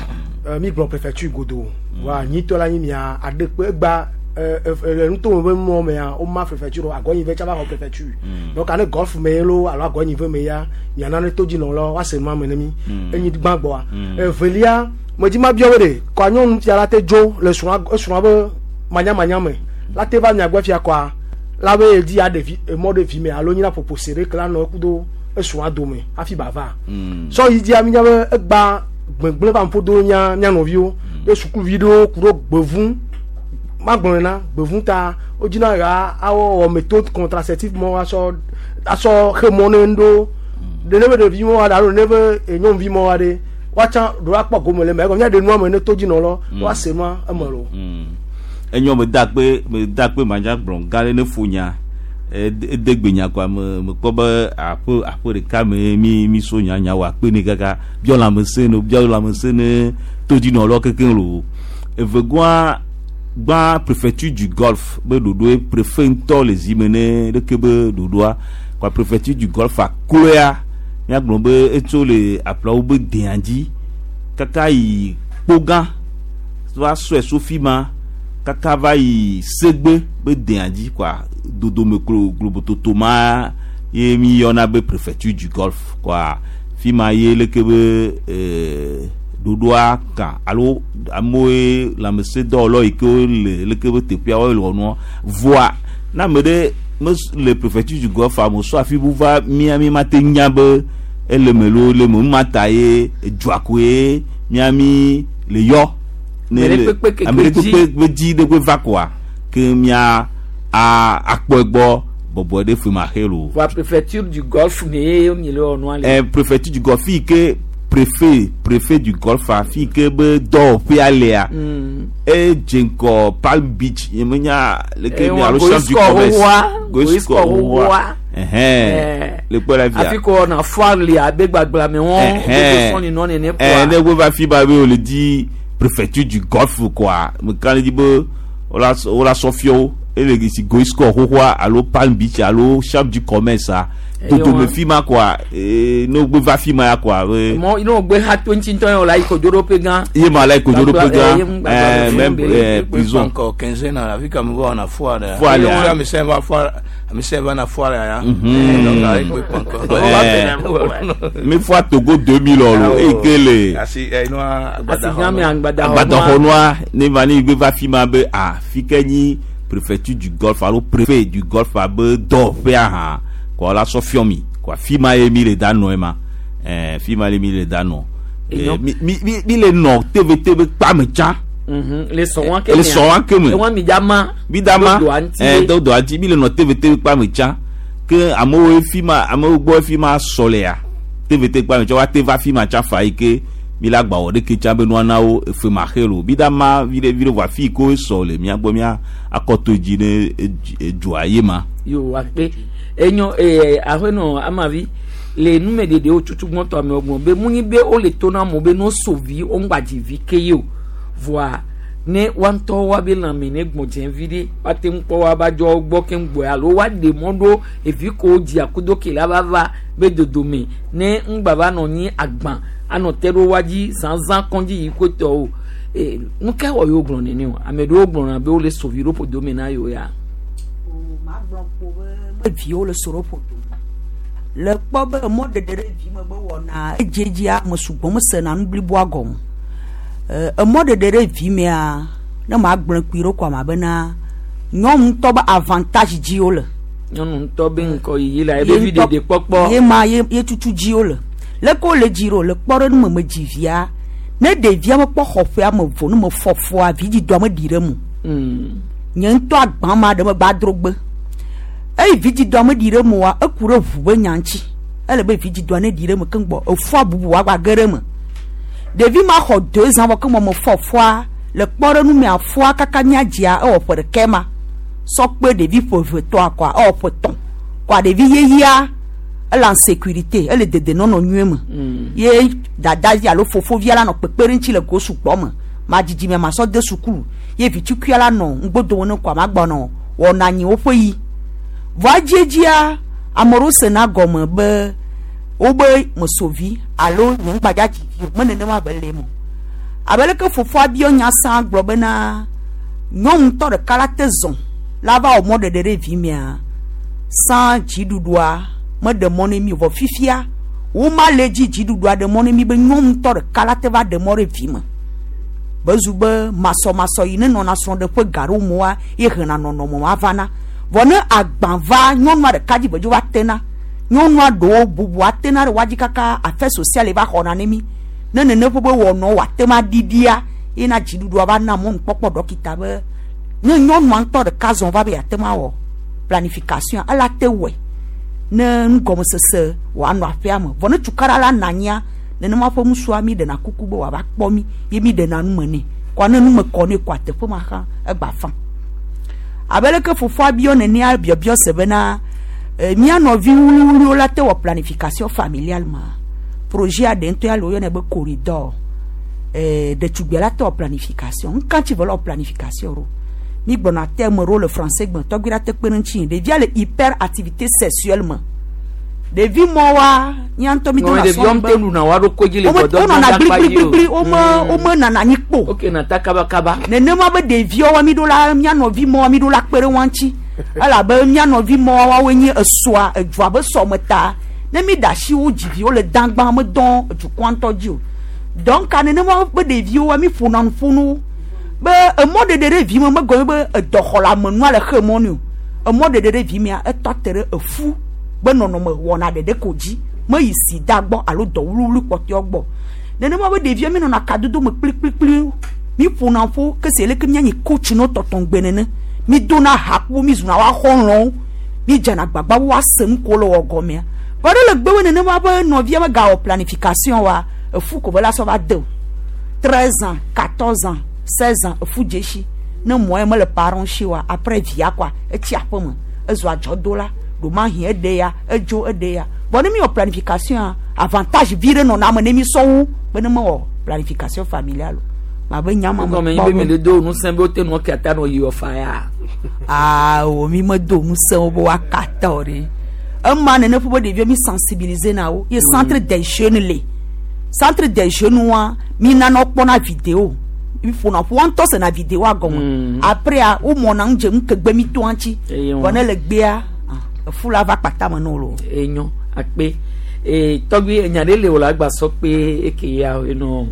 S19: mi gblɔ préfecture godo wa nyitɔ la nyi mia aɖe kpe egba le nutome be mɔ mea woma préfecture agɔnyi ve tsava xɔ préfecture donc ane golf me lo alo agɔnyi ve me ya miana ne todzinɔ lɔ woase nua me ne mi enyi gbã gbɔa evelia medzi ma biɔ be ɖe kɔa nyɔnu fia la te dzo le srɔ̃a esrɔ̃a be manyamanya me la te va miagbɔ fia kɔa la be edi aɖe vi emɔ ɖe vi me alo nyina ƒoƒo se ɖe ke la nɔ eku do esrɔ̃a dome hafi ba va sɔ yi dzia mi nya be egba gbegblẽ va ƒo do nya mia nɔviwo ye sukuvi ɖewo ku ɖo gbevu magblɔe na gbevu ta wodzina ya awɔ wɔ méthode contraceptive mɔ asɔ asɔ xe mɔ ne ŋɖo ɖe ne be ɖevi mɔ aɖe alo ne be nyɔnuvi mɔ aɖe woatsã ɖo akpɔ gome le eme egɔme míaɖe nua me ne todzinɔ lɔ woase nua eme lo.
S20: Enyo me da kpe me da kpe madza gblɔ gã ɖe ne fo nya ede gbe nya kɔa me me kpɔ be aƒe aƒe ɖeka me mi mi so nya nya wɔ akpe ne kaka biɔ lãmesẽ ne biɔ lãmesẽ ne todzinɔ lɔ kekeŋ lo evegɔa gbã préfecture du golfe be ɖoɖoe préfet ŋutɔ le zi me ne ɖeke be ɖoɖoa kɔa préfecture du golfe akloea míagblɔ be etso le aƒlawo be dea dzi kaka yi kpogã va sɔe so fi ma kaka va yi segbe be dea dzi kɔa dodome klo globototo ma ye mi yɔna be préfecture du golfe kɔa fi ma ye leke be ee ɖoɖoa kan alo amewoe lãmesẽdɔwɔlawo yi ke le leke be teƒea woe le wɔ nua voa ne ame ɖe me le préfecture du golfe ame sɔ afi bu va mía mi ma te nya be ele me lo le me ma ta ye edzoa koe mía mi le yɔ ne le ame ɖe kpekpe be dzi ɖe kpe va koa ke mía a akpɔ egbɔ bɔbɔ ɖe fe ma xe lo.
S1: Voa préfecture du golfe me ye mi le wɔ nua le.
S20: Ɛ préfecture du golfe yi ke préfet préfet du golfe afi ke be dɔwɔƒea lea edze ŋgɔ Palm Beach nye menya leke mi alo chambre du commerce
S1: Goiskɔ xoxoa
S20: ɛhɛn le kpɔ la fia
S1: afi ko wɔna foire le abe gbagblame wɔn
S20: ɛhɛn
S1: sɔni nɔ nene
S20: ɛɛ ne wo va fi ba be wole di préfecture du golfe quoi meka ne di be wola wola sɔ fiawo ele si Goiskɔ xoxoa alo Palm Beach alo chambre du commerce a dodome fi ma quoi ee ne wo va fi ma ya quoi.
S1: Mɔ ne wo gbe ha to ŋuti ŋutɔ ye wòle ayi kodzoɖoƒe gã.
S20: Ye ma la yi kodzoɖoƒe gã ɛɛ même ɛɛ prison.
S13: Encore quinzaine la fi ka mi va na foire.
S20: Foire ya.
S13: Mi sɛ va foire mi sɛ va na foire ya.
S20: Mhm.
S13: Donc ayi kpe kpɔnkɔ.
S20: Ɛɛ mi foire Togo deux mille lo eyi ke le.
S13: Asi ɛ nua
S1: Asi gã me agbadaxɔnua.
S20: Agbadaxɔnua ne va ne gbe va fi ma be a fi ke nyi préfecture du golfe alo préfet du golfe abe dɔwɔƒea hã. Kɔ la sɔ fiɔ mi kɔ fi ma ye mi le da nɔ ye ma ɛɛ fi ma ye mi le da nɔ ɛɛ mi mi mi le nɔ T V T be kpa me tsã.
S1: Le sɔn wa ke
S20: le sɔn wa ke me
S1: ewa mi da ma
S20: mi da ma ɛɛ do do ŋuti mi le nɔ T V T be kpa me tsã ke amewo fi ma amewo gbɔ fi ma sɔ le ya T V T kpa me tsã wa te va fi ma tsã fa yi ke mi la gba wɔ ɖeke tsã be nua na wo efe ma xe lo mi da ma vi ɖe vi ɖe vɔ afi yi ke wo sɔ le mia gbɔ mia akɔto dzi ne edzoa ye ma.
S1: Yo akpe enyo ee aƒenɔ amavi le numeɖeɖewo tutu gbɔtɔ amewo gblɔ be mu nyi be wole to na amewo be no so vi wo ŋgba dzi vi ke ye o voa ne woa ŋutɔ woabe lãme ne gbɔdze vi ɖe woate ŋu kpɔ woaba dzɔ gbɔ keŋ gbɔe alo woaɖe mɔ ɖo evi ko dzi akudo ke la va va be dodome ne ŋgba va nɔ nyi agbã anɔ te ɖo woa dzi zãzã kɔndzi yi kotɔ o ee nu ka wɔ yewo gblɔ nene o ame ɖewo gblɔna be wole so vi ɖo ƒodome na yewo ya.
S21: Viwo le so ɖo ƒodo le kpɔ be mɔɖeɖe ɖe vi me be wɔna edzedzia ame sugbɔ mesena nu bliboa gɔme emɔɖeɖe ɖe vi mea ne ma gblẽ kpui ɖo kɔma bena nyɔnu ŋutɔ be avantage dzi wole.
S1: Nyɔnu ŋutɔ be ŋkɔyiyi la ebe vi ɖeɖe kpɔkpɔ.
S21: Ye ma ye ye tutu dzi wole leke wole dzi ɖo le kpɔ ɖe nu me me dzi via ne ɖevia mekpɔ xɔƒea me vo ne me fɔfɔa vidzidɔa me ɖi ɖe mu. Nye ŋutɔ agbã ma ɖe megbe adrogbe. Eyi vidzidɔa me ɖi ɖe me oa eku ɖe ʋu be nya ŋuti ele be vidzidɔa ne ɖi ɖe me keŋ gbɔ efua bubu woagba ge ɖe me ɖevi ma xɔ deux ans vɔ ke me me fɔ fua Le kpɔɖeŋu mea fua kaka míadzia ewɔ ƒe ɖeka ma sɔ kpe ɖevi ƒe eve tɔa kɔa ewɔ ƒe tɔ̃ kɔa ɖevi yeyea ele en sécurité ele dedenɔnɔ nyuie me ye dadavi alo fofovia la nɔ kpekpe ɖe ŋuti le go sugbɔ me ma dzidzime ma sɔ de sukulu ye vitsukuia la nɔ ŋgbodome ne kɔa ma gbɔnɔ wɔna anyi woƒe yi vɔa edziedzia ame ɖewo sena gɔme be wobe mesovi alo nye ŋgbadza dzivi o me nenema be le eme o abe leke fofoa biɔ nya sã gblɔ bena nyɔnu ŋutɔ ɖeka la te zɔn la va wɔ mɔɖeɖe ɖe vi mea sã dziɖuɖua meɖe mɔ ne mi o vɔ fifia woma le dzi dziɖuɖua ɖe mɔ ne mi be nyɔnu ŋutɔ ɖeka la te va ɖe mɔ ɖe vi me bezu be masɔmasɔ yi ne nɔna srɔ̃ɖeƒe ga ɖewo me ye hena nɔnɔme ma vana vɔ ne agbã va nyɔnua ɖeka dzi vedzo va tena nyɔnua ɖewo bubua tena ɖe woadzi kaka affaire sociale va xɔna ne mi ne nene ƒe be wɔnɔ wòate ma ɖiɖia ye na dziɖuɖua va na mɔnukpɔkpɔ ɖɔkita be ne nyɔnua ŋutɔ ɖeka zɔn va be yeate ma wɔ planification ela te wɔe ne nugɔmesese wòanɔ aƒea me vɔ ne tukaɖa la nɔ anyia nenema ƒe ŋusua mi ɖena kuku be wòava kpɔ mi ye mi ɖena nume nɛ kɔa ne nume kɔ nɛ kɔa teƒe ma xã egba fã abe leke fofoa biɔ nenea biɔbiɔ se bena eh, mía nɔvi wuliwuliwo la te wɔ planification familiale ma projet aɖe ŋutɔ ya le woyɔnɛ be corridor eh, ɖetugbia la te wɔ planification ŋka tsi ve le wɔ planification ɖo mi gblɔna terme ɖewo le français gbe tɔgbi la te kpe ɖe ŋuti ɖevia le hyperactivité sexuelle me ɖevi mɔwoa mía ŋutɔ mi dona
S1: ɖeviwo ŋute ɖuna woa ɖokui dzi le
S21: Wome-
S1: gbɔdɔdɔ
S21: wonɔna
S1: ƒe akpa dzi o.
S21: gbligbligli wome wome nana anyi kpo
S1: ok nata kabakaba
S21: nenema be ɖeviwo mi ɖo la mía nɔvi mɔwoa mi ɖo la kpe ɖe wa ŋuti elabe mía nɔvi mɔwoa woawoe nye esɔa edua be sɔme ta ne mi ɖe asi wo dziviwo le dãgbã medɔn edukɔa ŋutɔ dzi o donc nenema be ɖeviwoa mi ƒona nu ƒo no be emɔɖeɖe ɖe vi me megɔme be edɔxɔleamenua le xe mɔ nɛ o emɔɖeɖe ɖe vi mea etɔ te ɖe efu be nɔnɔme wɔna ɖeɖe ko dzi meyi sida gbɔ alo dɔ wluwlu kpɔtɔewo gbɔ nenema be ɖevia mi nɔna kadodo me kplikplikpli mi ƒona ƒo kese leke mianyi coach no tɔtɔŋgbe nene mi dona ha kpo mi zuna wa xɔlɔ̃wo mi dzena agbagba be woase nu ko le wɔ gɔmea vɔ ɖe le gbewe nenema be nɔvia megawɔ planification wa efu ko be la sɔ va de o treize ans quatorze ans seize ans efu dze ne mɔ ye mele parent si wa après via kɔa etsi aƒe me ezu adzɔdola ɖomahi eɖe ya edzo eɖe ya vɔ ne mi wɔ planification a avantage vi ɖe nɔna ame ne mi sɔ wu be ne mewɔ planification familiale o ma be nya ma me
S1: gɔme nyi
S21: kpɔ
S1: be mi
S21: be
S1: le do ŋusẽ be wote nɔ kata nɔ yi wɔ fa ya
S21: awo mi medo ŋusẽ wo be woakata o ɖe ema nene ƒe be ɖeviwo mi sensibiliser na wo ye centre des jeunes le centre des jeunes wa mi nana wokpɔna vidéo mi ƒona ƒo wa ŋutɔ sena vidéoa gɔme après a womɔna ŋu dze ŋkegbe mi toa ŋuti
S1: Eye
S21: vɔ
S1: wa.
S21: ne le gbea ah, efu la va kpata me ne wo lo.
S1: enyo akpe ee tɔgbi enya ɖe le wò la gba sɔ kpe eke ya enɔ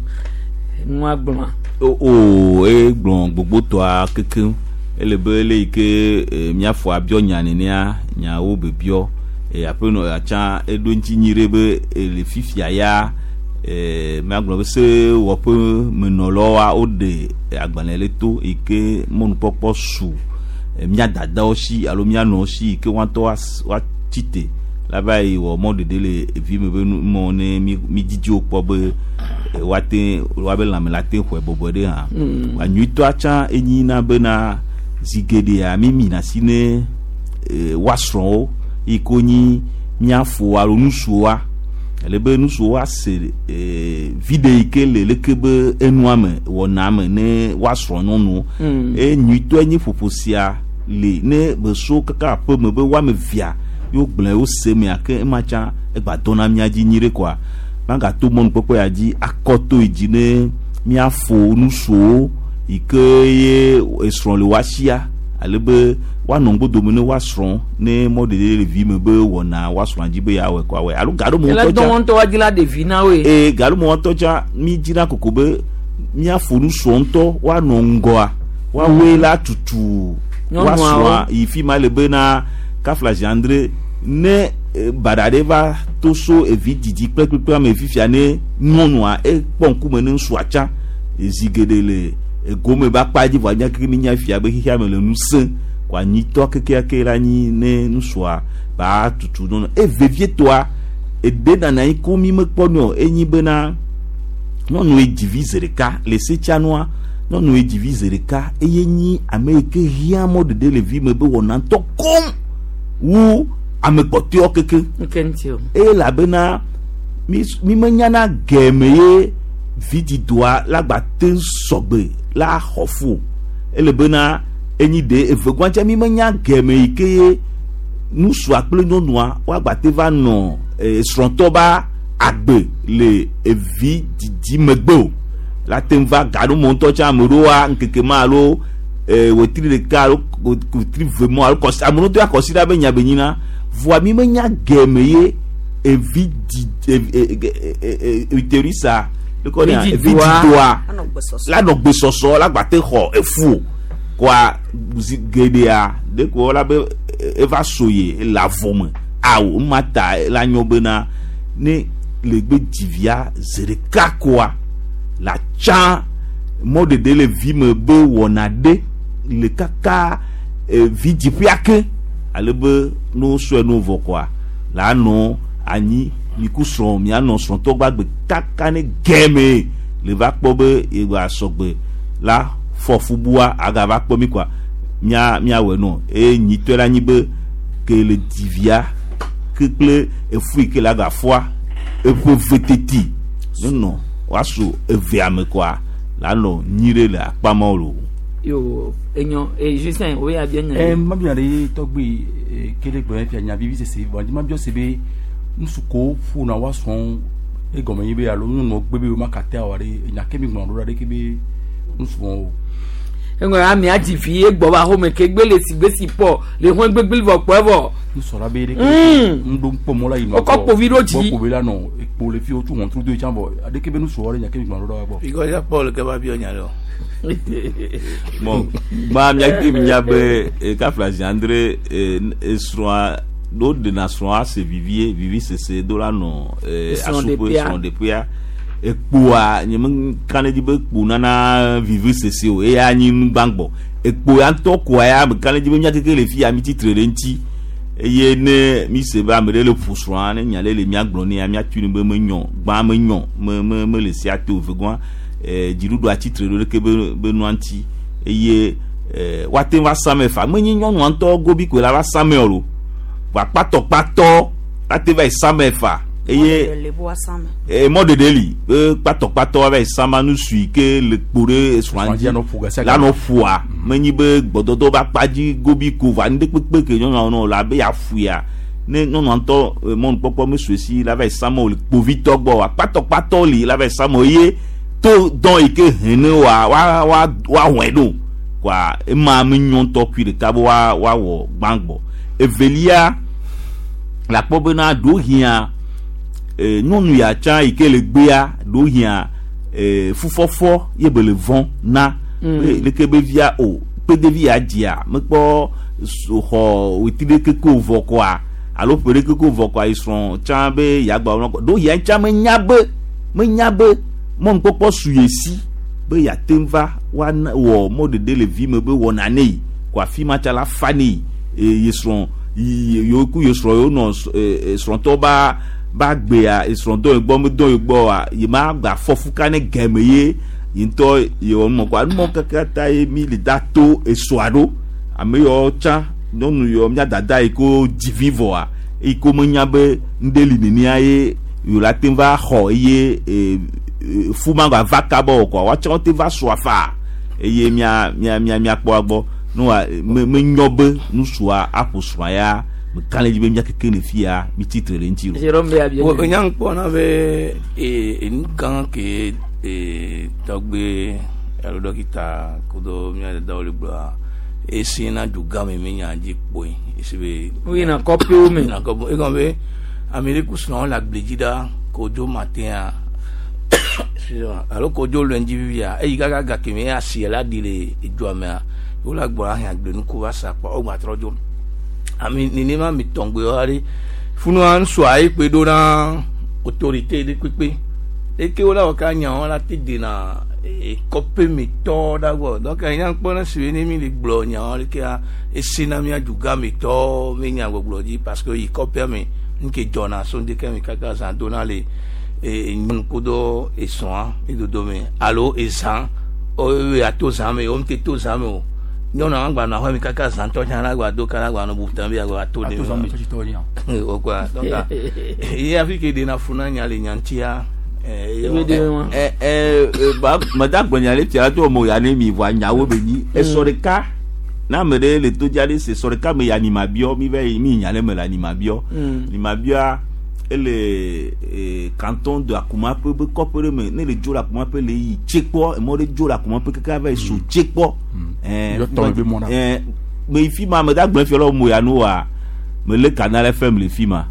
S1: nua gblɔa.
S20: o o egblɔ gbogbotɔa kekeŋ ele be le yi ke e, míafɔ abiɔ nya nenea nyawo be biɔ e, aƒenɔ atsã eɖo ŋuti nyi ɖe be e, le fifia ya e, míagblɔ be sewɔƒe menɔlawoa woɖe agbalẽ le to yi ke mɔnukpɔkpɔ su e, mía dadawo si alo mía nɔwo si yi ke woa ŋutɔ woas- woatsi te la va yi wɔ mɔɖeɖe le evi me be nu mɔ ne mi mi dzidziwo kpɔ be e, woate woabe lãme la te xɔe bɔbɔe ɖe hã
S1: Mm.
S20: wa nyuitɔa tsã enyi na bena zi geɖea mi mina asi ne e, woasrɔ̃wo yi ke wonyi míafo alo nusuwoa ele be nusuwo ase e, viɖe yi ke le leke be enua me wɔna me ne woasrɔ̃ nyɔnuwo
S1: Mm.
S20: eye nyuitɔe nye ƒoƒo sia le ne beso kaka aƒe me be woame via yewo gblẽ wo se mea ke ema tsã egba dɔna mía dzi nyi ɖe koa magato mɔnukpɔkpɔ ya dzi akɔ to yi dzi ne míafo nusuwo yi ke ye esrɔ̃ le woasia ale be woanɔ ŋgbodome ne woasrɔ̃ ne mɔɖeɖe le vi me be wɔna woasrɔ̃a dzi be yeawɔe kɔ awɔe alo gaɖo me
S1: ele
S20: ŋutɔ
S1: dɔn
S20: tsã
S1: wɔn ŋutɔ wa dzi la ɖevi na woe.
S20: ee gaɖo me ŋutɔ tsã mi dzina koko be míafo nusrɔ̃ ŋutɔ woanɔ ŋgɔa woawoe la tutu
S1: Nyɔnuawo.
S20: woasrɔ̃a yi fi ma le bena kafla gendre ne eh, baɖa ɖe va to so evi didi kple kpekpe ame fifia ne nyɔnua ekpɔ ŋkume ne ŋutsua tsã zi geɖe le egome be akpa dzi vɔa mía keke mi nya fia be xexea me le nu sẽ ko anyitɔ kekeake la nyi ne ŋutsua ba tutu nyɔnua e vevietɔa eɖe nana anyi ko mi mekpɔ nɛ o enyi bena nyɔnu ye dzivi zi ɖeka le setsanua Nyɔnu ye dzivi zi ɖeka eye nyi ame yi ke hiã mɔɖeɖe le vi me be wɔna ŋutɔ kom wu ame kpɔtɔewo keke.
S1: Nke ŋuti o.
S20: Elabena mi mi menyana gɛme ye vidzidɔa la gba te sɔgbe la xɔ fu o. Elabena enyi ɖe eve gbɔntsa mi menya gɛme yi ke ye nusua kple nyɔnua woagba te va nɔ eh, srɔ̃tɔ ba agbe le evi didi megbe o. La te va gaɖo ŋutɔ tsã ame ɖewoa ŋkeke ma alo eh, wetri ɖeka alo wetri ve mɔ alo kɔsi ame ɖewo to akɔsi ɖa be nya be nyina voa mi menya gɛme ye evi di uterus-a lekɔ ne
S1: Vidzidɔa.
S20: vidzidɔa la nɔ gbesɔsɔ la gba te xɔ efu o koa zi geɖea ɖeko la be eva so ye le avɔ me awo ema ta la nyɔ bena ne le gbe dzivia zi ɖeka koa la tsã mɔɖeɖe le vi me be wɔna ɖe le kaka eh, vidziƒea ke ale be no sɔe no vɔ koa la nɔ anyi miku srɔ̃ mianɔ srɔ̃tɔ gbagbe kaka ne gɛme le va kpɔ be yegba sɔgbe la fɔ fubua agava kpɔ mi koa mia miawɔe nɔ eye nyitɔe la nyi be ke le dzivia ke kple efu yi ke le agafɔa eƒe ve teti nenɔ woaso evea me koa la nɔ nyi ɖe le akpa mawo lo.
S1: Yo enyo e Justin o ya bien.
S18: Eh, mabia ɖe tɔgbe eh, kele gblɔ fia nya vivi sese vɔ mabiɔ se be ŋutsu ko ƒona wa srɔ̃ egɔme nyi be alo nyɔnuwo gbe be woma kate awɔ ɖe enya ke mi gblɔ ɖo ɖa ɖe ke be ŋutsu wɔn o.
S1: Eŋɔ ame adzi vi egbɔ va xɔme ke gbe le si gbe si pɔ le hɔn gbegbe vɔ kpɔ evɔ.
S18: Nusɔ la be ɖe ke
S1: Mm.
S18: ŋɖo kpɔ mɔ la yi nɔ
S1: Wokɔ kpovi ɖo dzi.
S18: Gbɔ kpovi la nɔ ekpo le fi wotu wɔntru do yi tsã vɔ aɖeke be nusɔ ɖe nya ke mi gblɔ ɖo ɖa gbɔ.
S13: Because ya Paul ke va biɔ nya ɖe o.
S20: Bon, gba miake mi nya be eh, kafla Andre esrɔ̃a ɖo ɖena srɔ̃a se vivie vivi sese do la nɔ eh,
S1: Srɔ̃ɖeƒea.
S20: asuƒe srɔ̃ɖeƒea ekpoa nye me ka ɖe dzi be ekpo nana vivi sese o eya nyi nugbãgbɔ ekpo ya ŋutɔ koa ya me ka ɖe dzi be mía keke le fi ya mi tsitre ɖe ŋuti eye ne mi se be ame ɖe le ƒo srɔ̃a ne nya ɖe le mía gblɔ nea míatui ne be menyɔ gbã menyɔ me me mele sia te o vegɔa eh, dziɖuɖua tsitre ɖo ɖeke be be nua ŋuti eye eh, woate ŋu va same fa menye nyɔnua ŋutɔ gobi koe la va same o lo vɔa kpatɔkpatɔ ate va yi same fa eye
S21: Le bo asame.
S20: eh, mɔɖeɖe li be kpatɔkpatɔ va yi sama nusui ke le kpo ɖe srɔ̃a
S18: dzi
S20: dzi la nɔ ƒoa menyi be gbɔdɔdɔ be akpa dzi gobi ko va nu ɖe kpekpe ke nyɔnua nɔ la be yeaƒoea ne nyɔnua ŋutɔ eh, mɔnukpɔkpɔ mesue si la va yi sama o le kpovitɔ gbɔ wa kpatɔkpatɔ li la va yi sama o eye to dɔn yi ke he ne wa wa wa wa wɔe ɖo koa ema menyɔ ŋutɔ kui ɖeka be wa wa wɔ gbãgbɔ evelia le akpɔ bena ɖewo hiã eh, nyɔnu ya tsã yi ke le gbea ɖewo hiã eh, fufɔfɔ ye be le vɔ̃ na
S1: Mm.
S20: be leke be via o kpedevi ya dzia mekpɔ so- xɔ wetri ɖeke ko vɔ koa alo ƒe ɖeke ko vɔ koa yi srɔ̃ tsã be yagba wɔna kɔ ɖewo hiã tsã menya be menya be mɔnukpɔkpɔ su ye si be yeate ŋu va woana wɔ mɔɖeɖe le vi me be wɔna ne yi ko afi ma tsa la fa ne yi eye ye srɔ̃ yi yewo ku ye srɔ̃ yewo nɔ s- e- e, srɔ̃tɔ ba ba gbea esrɔ̃dɔ yi gbɔ medɔ yi gbɔ wa ye ma gba fɔ fuka ne gɛme ye yi ŋutɔ yewɔ numɔ kɔa numɔ kaka ta ye mi le da to esɔa ɖo ame yawo tsã nyɔnu yawo mía dada yi ko dzi vi vɔa eyi ko menya be ŋɖe li nenia ye yewo la te va xɔ eye e, e, fu ma gba va kaba o kɔa woatsã wote va sɔa faa eye mía mía mía míakpɔ agbɔ noa me menyɔ be nusua aƒo srɔ̃a ya meka ɖe dzi be mía keke le fia mi tsitre ɖe ŋuti o.
S1: Jérôme be abia.
S13: Wo nya ŋkpɔ na be e enu gã ke e tɔgbe alo dɔkita kudo mía dadawo le gblɔa esi na du gã me mi nya dzi kpoe esi be.
S1: Woyina kɔƒewo me.
S13: Yina kɔƒe egɔme be ame ɖe ku srɔ̃wo le agble dzi ɖa kodzo matin excusez-moi alo kodzo lundi vivia eyi kaka gake me asi la ɖi le edua mea wo la gbɔ ahɛn agblenuku va sa kpɔ wo gba trɔ dzo ami nenema mi tɔngbe wa ɖe funua ŋutsua ye kpe ɖo na autorité ɖe kpekpe eke wo la wɔ ka nyawo la te dena kɔƒe me tɔ ɖa gbɔ donc nya kpɔ na si be ne mi le gblɔ nyawo ɖekea esi na mía dugã me tɔ me nya gbɔgblɔ dzi parce que yi kɔƒea me nu ke dzɔna so ŋdeke me kaka zã dona le e nyɔnu kudo esrɔ̃a edodo me alo ezã o ya to zã me o ŋute to zã me o nyɔnu agba nɔ aƒe mi kaka zãtɔ tsã la agba do kala agba nɔ butam bi agba to de
S18: Ato zã me tsɔtsi tɔ nya.
S13: o quoi donc ye afi ke ɖena fu na nya le nya ŋutia
S20: ɛ ɛ ba meda gblɔ le fia to mo ya ne mi vɔa nyawo be nyi esɔ ɖeka na ame ɖe le to dza ɖe se sɔ ɖeka me ya nima biɔ mi va yi mi nya le me le anima biɔ
S1: Mm.
S20: nima biɔa ele eh, canton de Akumape be kɔƒe ɖe me ne le dzo le Akumape le yi tsekpɔ emɔ ɖe dzo le Akumape kaka va yi so tsekpɔ ɛɛ
S18: Yɔ tɔ be mɔ na.
S20: ɛɛ me yi fi ma meda gblɔ fia le mo ya nu wa me le Canal F M le fi ma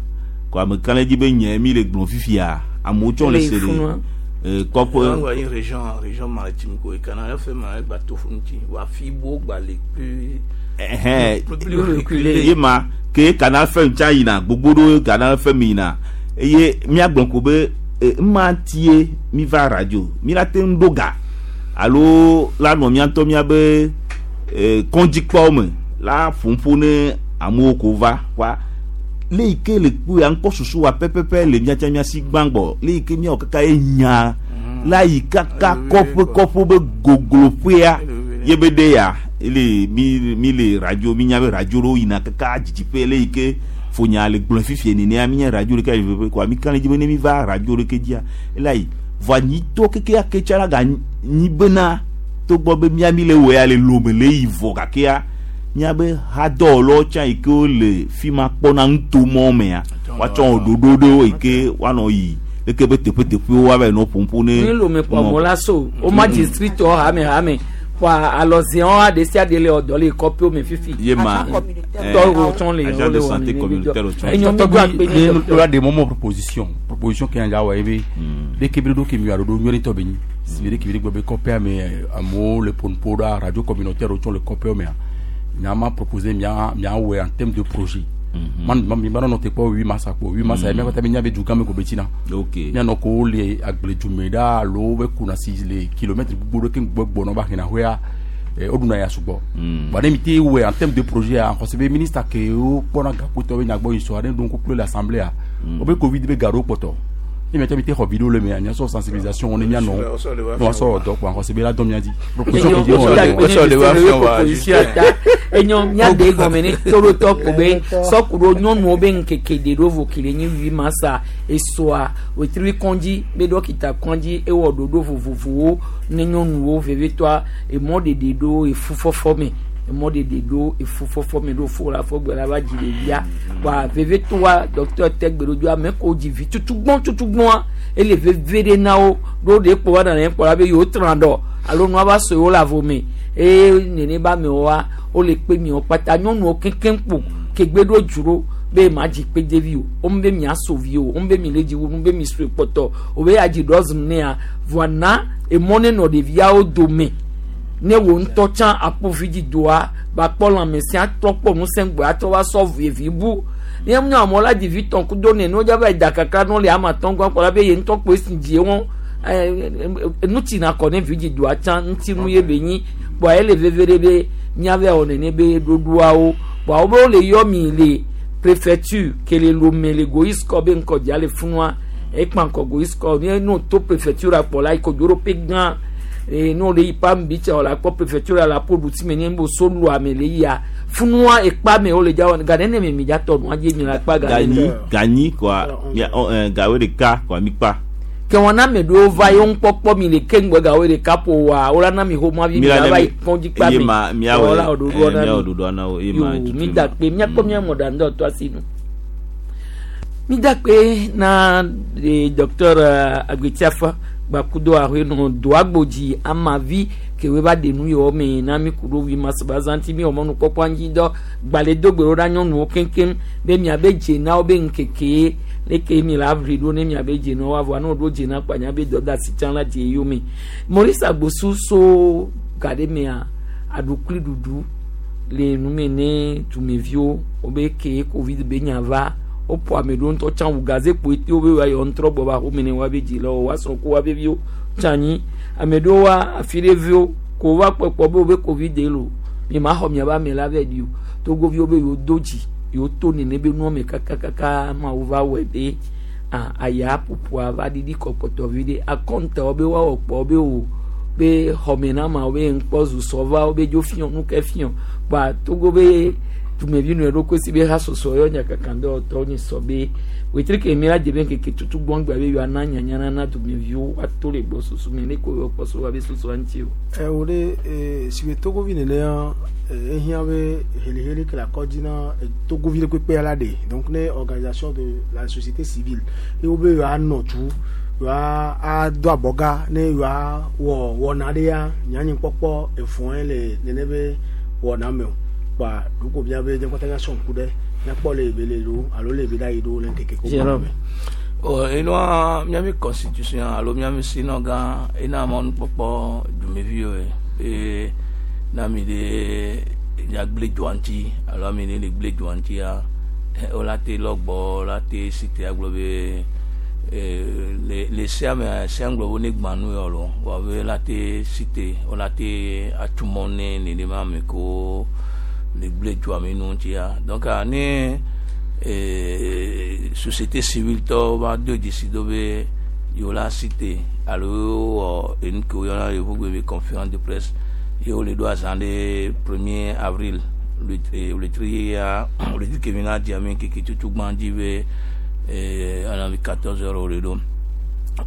S20: ko ame kan le dzi be nye mi le gblɔ fifia amewo tsɔ le
S1: Le
S20: se
S1: funua.
S20: le eh, kɔƒe.
S13: Angba yi région région maritime ko Canal F M gba to fu ŋuti wa fi bo gba le plus
S20: Ɛhɛn,
S13: plus plus reculé
S20: ye ma ke Canal F M tsa yina gbogbo ɖewo Canal F M yina eye míagblɔ ko be e, ema tie mi va radio mi la te ŋu ɖo ga alo la nɔ mía ŋutɔ míabe e, kɔdzikpɔwo me la ƒoƒo ne amewo ko va wa le yi ke le kpu ya ŋkɔ susu wa pɛpɛpɛ le míatsa mía si gbãgbɔ le yi ke míawɔ kaka ye nya la yi kaka kɔƒe kɔƒe be gogloƒea ye be ɖe ya ele mi mi le radio mi nya be radio ɖewo yina kaka dzidziƒe le yi ke fonya le gblɔ fifie nenea mi nya radio ɖeka yi veve koa mi kan le dzi be ne mi va radio ɖeke dzia ela yi vɔa nyitɔ kekeake tsa la ga nyi bena togbɔ be mía mi le wɔ ya le lome le yi vɔ gakea míabe hadɔwɔlawo tsã yi ke wole fi ma kpɔna nutomɔ mea woatsɔ wɔ ɖoɖo ɖewo yi ke woanɔ yi leke be teƒeteƒewo woava yi nɔ ƒoƒo ne
S1: mi lome kpɔ mo la so o ma district wɔ hame hame kpɔ alɔziãwo ɖe sia ɖe le ɔdɔ le kɔƒewo me fifi.
S20: ye ma
S1: tɔwo tsɔn le
S20: agent de santé communautaire tsɔn
S1: Enyo mi do akpe
S18: ne
S1: ne
S18: lora de momo proposition proposition ke anja wa ebe de kebiri do ke mi aro do nyori to be ni si de kebiri gbe kɔpea me amewo le ponpo ɖa radio communautaire wo tsɔ le kɔpea mea mia ma proposer mia mia wɔ en terme de projet man ma mi ma nɔ te kpɔ huit mars kpɔ huit mars mia kpata mi nya be du gã me ko be tina
S20: ok
S18: mianɔ ko le agbledume ɖa alo be kuna si le kilomètre gbogbo ɖe ke gbɔ gbɔnɔ ba hena hoea eh, o ɖuna ya sugbɔ bon ne mi te wɔ en terme de projet a xɔse be ministre ke wo kpɔna gakpotɔ be nyagbɔ yi sɔ aɖe ɖo ŋku kple le assemblée a wo be covid be ga ɖewo kpɔtɔ ne miatsa mi te xɔ video le mea miasɔ sensibilisation ne mianɔ ne woasɔ dɔ kpɔ xɔse be la dɔn mia dzi proposition ke dzi wɔ la
S1: proposition ta enyo miade gɔme ne toɖotɔ ko be sɔkuɖo nyɔnuwo be ŋkeke de ɖo vo kele nyi wi masa esoa wetri kɔndzi be dɔkita kɔndzi ewɔ ɖoɖo vovovowo ne nyɔnuwo vevitɔa emɔ ɖeɖe ɖo efufɔfɔ me emɔ ɖeɖe ɖo efufɔfɔ me ɖo fo la fɔgbe la va dzi ɖevia wa vevitɔa dɔkitɔ te gbe ɖo dzo ame ko dzi vi tutugbɔn tutugbɔn ele veve ɖe na wo ɖo ɖe kpɔ wa nana kpɔ la be yewo trã dɔ alo nua va so yewo le avo me eye nene ba amewoa wole kpe miwo kpata nyɔnuwo keŋkeŋ kpo kegbe ɖo dzro be ma dzi kpe devi o wo be mia so vi o wo be mi le dzi wu be mi sue kpɔtɔ o be adzi dɔzim nea voa na emɔ ne nɔ ɖeviawo dome ne wo ŋutɔ tsã akpɔ vi dzi doa ba kpɔ lãmesẽ atrɔ kpɔ ŋusẽ gbɔ atrɔ va sɔ vevi bu ne mu amewo la dzi vi tɔn kudo ne ne wodza va yi da kakra ne wole ama tɔn gbɔ kpɔ la be ye ŋutɔ kpo esi dzi wɔn ŋuti na kɔ ne vi dzi doa tsã ŋutinu ye be nyi kpɔa ele veve ɖe be míave wɔ nene be ɖoɖoawo kpɔa wo be wole yɔ mi le préfecture ke le Lomé le Goïskɔ be ŋkɔdza le funua ekpa ŋkɔ Goïskɔ ne no to préfecture akpɔ la ikodzoroƒe gã ee ne wole yi pam bi tsa wòle akpɔ préfecture la po ɖuti me ne bo solu ame le yia funua ekpa me wole dza wɔ ga nene me mi dza tɔ nua dzi mi le akpa ga
S20: ganyi ganyi kɔa mia ɔ ɛ gawe ɖeka kɔa mi kpa
S1: ke wɔn na ame ɖewo va ye ŋkpɔkpɔ mi le ke ŋgbɛ gawe ɖeka ƒo wa wola na mi xɔmɔ vi mi la va yi kɔndzi kpa
S20: ye
S1: me
S20: ma miawɔ
S1: Wola ɖoɖoa
S20: ɛ
S1: na
S20: miawɔ
S1: mi.
S20: ɖoɖoa na wo ye ma
S1: Yo,
S20: tutu
S1: mi
S20: ma.
S1: da kpe miakpɔ mia mɔ ɖa ŋdɔ tɔ asi nu mi da kpe na eh, docteur eh, Agbetiafa gbakudo ahoe nɔ doagbodzi amavi kewoe va de nu yewo me na mi ku ɖo wi masabazanti mi wɔ mɔnukpɔkpɔ anyi dɔ gbalẽ do gbe ɖo ɖa nyɔnuwo keŋkeŋ be miabe dze na wo be ŋkeke leke mi la aʋli ɖo ne miabe dze na wo avɔa ne woɖo dze na kpa miabe dɔdeasi tsã la dze yome Maurice Agbosu so ga ɖe mea aɖukli ɖuɖu le nume ne dumeviwo wobe ke covid be nya va woƒo ame ɖewo ŋutɔ tsã wu gaze kpo ete wobe wa yɔ ŋtrɔ gbɔ va xɔme ne woabe dzilawo woasrɔ̃ ko woabe viwo tsã anyi ame ɖewo wa afi ɖe viwo ko va kpɔkpɔ be wobe covid de lo mi ma xɔ miabe ame la vɛ ɖi o togoviwo be yewo do dzi yewo to nene be nua me kakakaka mawu va wɔe be ah aya ƒoƒoa va ɖiɖi kɔkɔtɔ vi ɖe akɔntawo be woawɔ kpɔ be o be xɔme na ma be ŋkpɔ zu sɔva wo be dzo fiɔ nu ke fiɔ kpa Togo be dumevi nu ɖo kosi be ha sɔsɔ yɔ nyakaka dɔwɔtɔwo nyi sɔ be wetri ke mi la de be ŋkeke tutu gbɔngbea be yewoa na nyanyana na dumeviwo ato le gbɔ susu me ne ko yewoa kpɔ so wa be susua ŋuti o.
S19: ɛ o de ee si be togovi nenea ehiã be heliheli ke le akɔdzi na togovi ɖe kpekpe la ɖe donc ne organisation de la société civile ye wo be yewoa nɔ tu yewoa ado abɔga ne yewoa wɔ wɔna ɖe ya nyanyi kpɔkpɔ evɔe le nene be wɔna me o kpa ɖoko bia be nye kpata míasɔ ŋku ɖe míakpɔ le ebe le lo alo le ebe ɖa yi ɖo le ŋkeke ko gbɔ me.
S13: o enua miami constitution alo miami sinɔ gã ena mɔnukpɔkpɔ dumeviwo ye be na mi ɖe ya gblẽ dzoa ŋuti alo ame ɖe le gblẽ dzoa ŋutia wola te lɔ gbɔ wola te si te agblɔ be le le sea mea sea ŋgblɔ be ne gbã nu yɔ lo wa be la te si te wola te atu mɔ ne nenema ame kewo le gblẽ dzoa me nu ŋutia donc ne société civile tɔwo va do dzesi do be yewo la si te alo wɔ enu ke woyɔna le yevugbe be conférence de presse ye wole ɖo azã ɖe premier avril wletri ya wletri kemi na dzia mi keke tutu gbã dzi be ana quatorze heures wole ɖo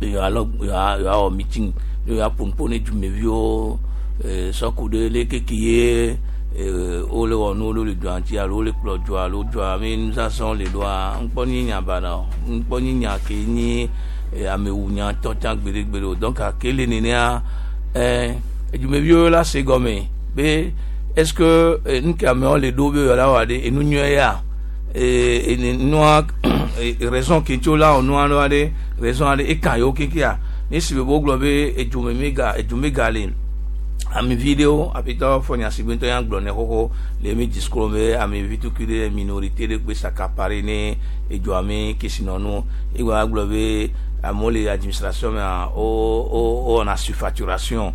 S13: yewoa lɔ yewoa wɔ meeting yewoa ƒo ne dumeviwo sɔku ɖe leke ke ye wole wɔ nuwo ɖo le dua ŋuti alo wole kplɔ dua alo dua mi nuzazã le ɖoa ŋkpɔ nyi nya baɖa o ŋkpɔ nyi nya ke nyi amewunya tɔ tsã gbeɖegbeɖe o donc ke le nenea ɛɛ edumeviwo la se gɔme be est ce que nu ke amewo le ɖo be yewoa wɔ ɖe enu nyuie ya ee nua raison ke tso la wɔ nua ɖo aɖe raison aɖe eka yewo kekeа ne si be wogblɔ be edzume mi ga edzume ga le amevi ɖewo aƒetɔ fɔnyasigbe ŋutɔ ya gblɔ ne xoxo le mi discours be amevi tukui ɖe minorité ɖe kpe s'accaparer ne edzoa mi kesinɔnu egba gblɔ be amewo le administration mea wo wo wɔna surfacturation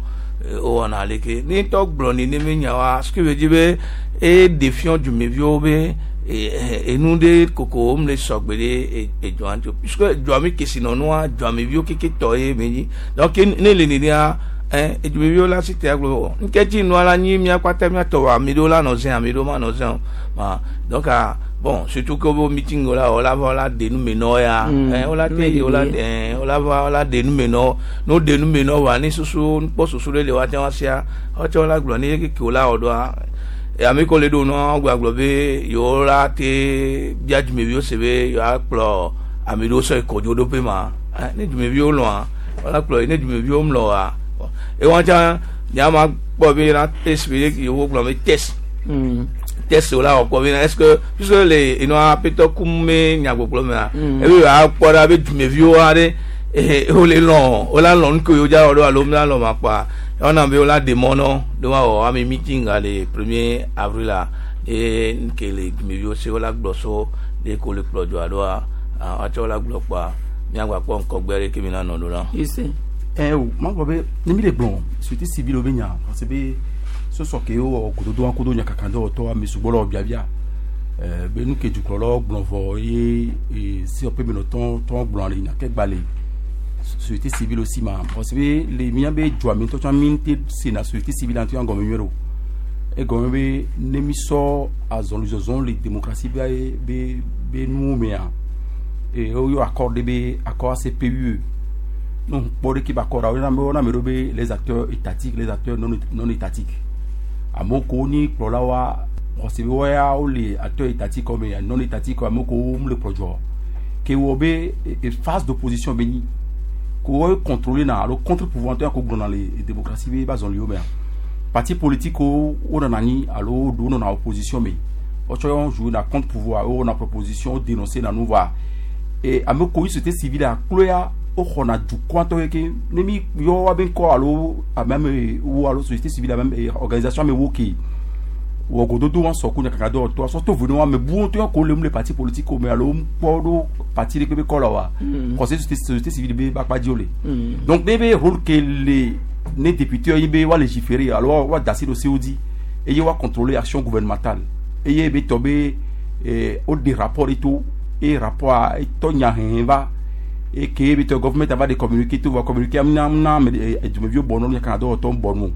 S13: wo wɔna leke ne ŋutɔ gblɔ neneme nyawoa ce qui veut dire be e défiant dumeviwo be enu ɖe koko wo le sɔgbe ɖe edzoa ŋuti o puisque edzoa mi kesinɔnua dzoameviwo keke tɔ ye me nyi donc ne le nenea ɛn edumeviwo la si te agblɔ o nketsi nua la nyi mía kpata míatɔ wa ame ɖewo la nɔ zẽ ame ɖewo ma nɔ zẽ o ma donc bon surtout que wo meeting wo la wo la va wo la de nu me nɔ ya ɛn wo la te wo la ɛn wo la va wo la de nu me nɔ no de nu me nɔ wa ne susu nukpɔ susu ɖe le wa te wa sia wotsɛ wo la gblɔ ne keke wo la wɔ ɖoa ame ko le ɖo nua wo gblɔ be yewo la te bia dumeviwo se be yewoa kplɔ ame ɖewo sɔ yi kɔdzoɖoƒe ma ne dumeviwo lɔa wo la kplɔ yi ne dumeviwo mlɔ wa ewa tsã nyama kpɔ be na test be yewo gblɔ be test test wo la wɔ kpɔ be est ce que puisque le enua aƒetɔ kum me nyagbɔgblɔ mea ebe yewoa kpɔ ɖa be dumeviwo aɖe wole lɔ wo la lɔ nu ke yewo dza wɔ ɖo alo la lɔ ma kpɔa ewɔna be wo la ɖe mɔ nɔ ɖo wa wɔ ame meeting le premier avril la ye nke le dumeviwo se wo la gblɔ so ɖe ko le kplɔ dzoa ɖoa woatsɛ wo la gblɔ kpɔa miagba kpɔ ŋkɔgbe ɖe ke mi na nɔ ɖo la.
S18: ɛ o ma gblɔ be ne mi le gblɔ société civile be nya parce be sɔsɔ ke wowɔ gododo wa kodo nyakaka dɔwɔtɔ ame sugbɔ le wɔ biabia ɛɛ be nu ke dukplɔlawo gblɔ vɔ ye ee COP menɔtɔ tɔ gblɔ le nya ke gba le société civile aussi ma parce que le mía be dzoa mi ŋutɔ tsã mi te sena société civile ŋutɔ ya gɔme nyuie ɖo egɔme be ne mi sɔ azɔlizɔzɔ le démocratie be be be nuwo mea ee woyɔ accord ɖe be accord ACPUE non kpɔ ɖe ke be accord woyɔna be woyɔna ame ɖewo be les acteurs étatiques les acteurs non non étatiques amewo ko ni kplɔlawoa xɔse be woya wole acteurs étatiques me non étatiques amewo ko wo le kplɔ dzɔ ke wɔ be e phase d'opposition be nyi ko wo contrôler na alo contre pouvoir ŋutɔ ya ko gblɔna le démocratie be ba zɔliwo mea parti politique wo nɔna anyi alo ɖewo nɔna opposition me wotsɔ wɔn jouer na contre pouvoir wo wɔna proposition wo dénoncer na nu va e ame ko yi société civile aklo ya woxɔna dukɔa ŋutɔ keke ne mi yɔ woabe ŋkɔ alo ame ame wo alo société civile ame organisation ame wo ke wɔ gododo wa sɔ ku nyakaka dɔwɔtɔ sɔ to vo ne ame buwo ŋutɔ ko le mu le parti politique me alo kpɔ ɖo parti ɖe kpe be kɔ la wa xɔse société civile be ba kpa dzi wo le donc ne be rôle ke le ne député yi be wa légiférer alo wa da asi ɖo sewo dzi eye wa contrôler action gouvernementale eye be tɔ be wo de rapport ɖe to eye rapport etɔ nya hehe va Eke bi to government ava de communiquer to va communiquer amna amna me edumeviwo bɔ nɔ kan dɔ tɔ bɔ nu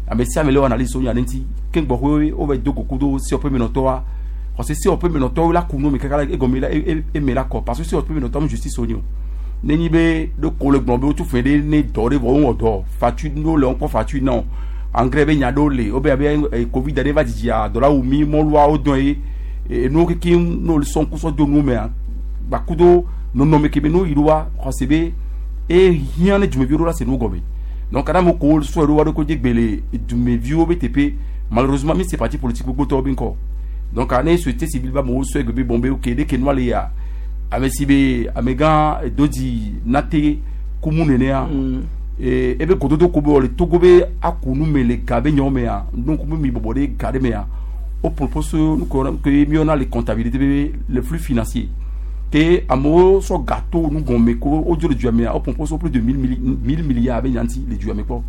S18: ame sia ame le wɔ analyse so nya ɖe ŋuti ke gbɔxɔe wo va do goku do C O P menɔtɔa parce que C O P menɔtɔwo la ku nu me kaka la egɔme la eme la kɔ parce que C O P menɔtɔ mu justice wo nyi o nenyi be ɖo ko le gblɔ be wotu fɛn ɖe ne dɔ ɖe vɔ wowɔ dɔ fatu no le ŋkɔ fatu na o engrais be nya ɖewo le wo be abe covid ɖe va dzidzia dɔ la wu mi mɔluawo dɔn ye enuwo kekem n'olu sɔn kusɔ do nu mea gbakudo nɔnɔme kebe n'o yiriwa xɔse be ehiã ne dumeviwo ɖo la se nu gɔme donc adama ko sɔ ɖo wa ɖo ko dze gbe le dumeviwo be teƒe malheureusement mi se parti politique gbogbo tɔwo be ŋkɔ donc ane société civile ba mɔgɔw sɔ egbe be bɔn be ok ɖe ke nua le ya ame si be amegã dodzi nate kumu nenea ee ebe gododo ko be wɔ le Togo be aku nu me le ga be nyawo mea donc be mi bɔbɔ ɖe ga ɖe mea o propose nu ko ke miɔna le comptabilité be le flux financier ke amewo sɔ gâteau nu gɔme ko wodzo le dua mea o propose plus de mille mille milliards be nyanti le dua me kpɔ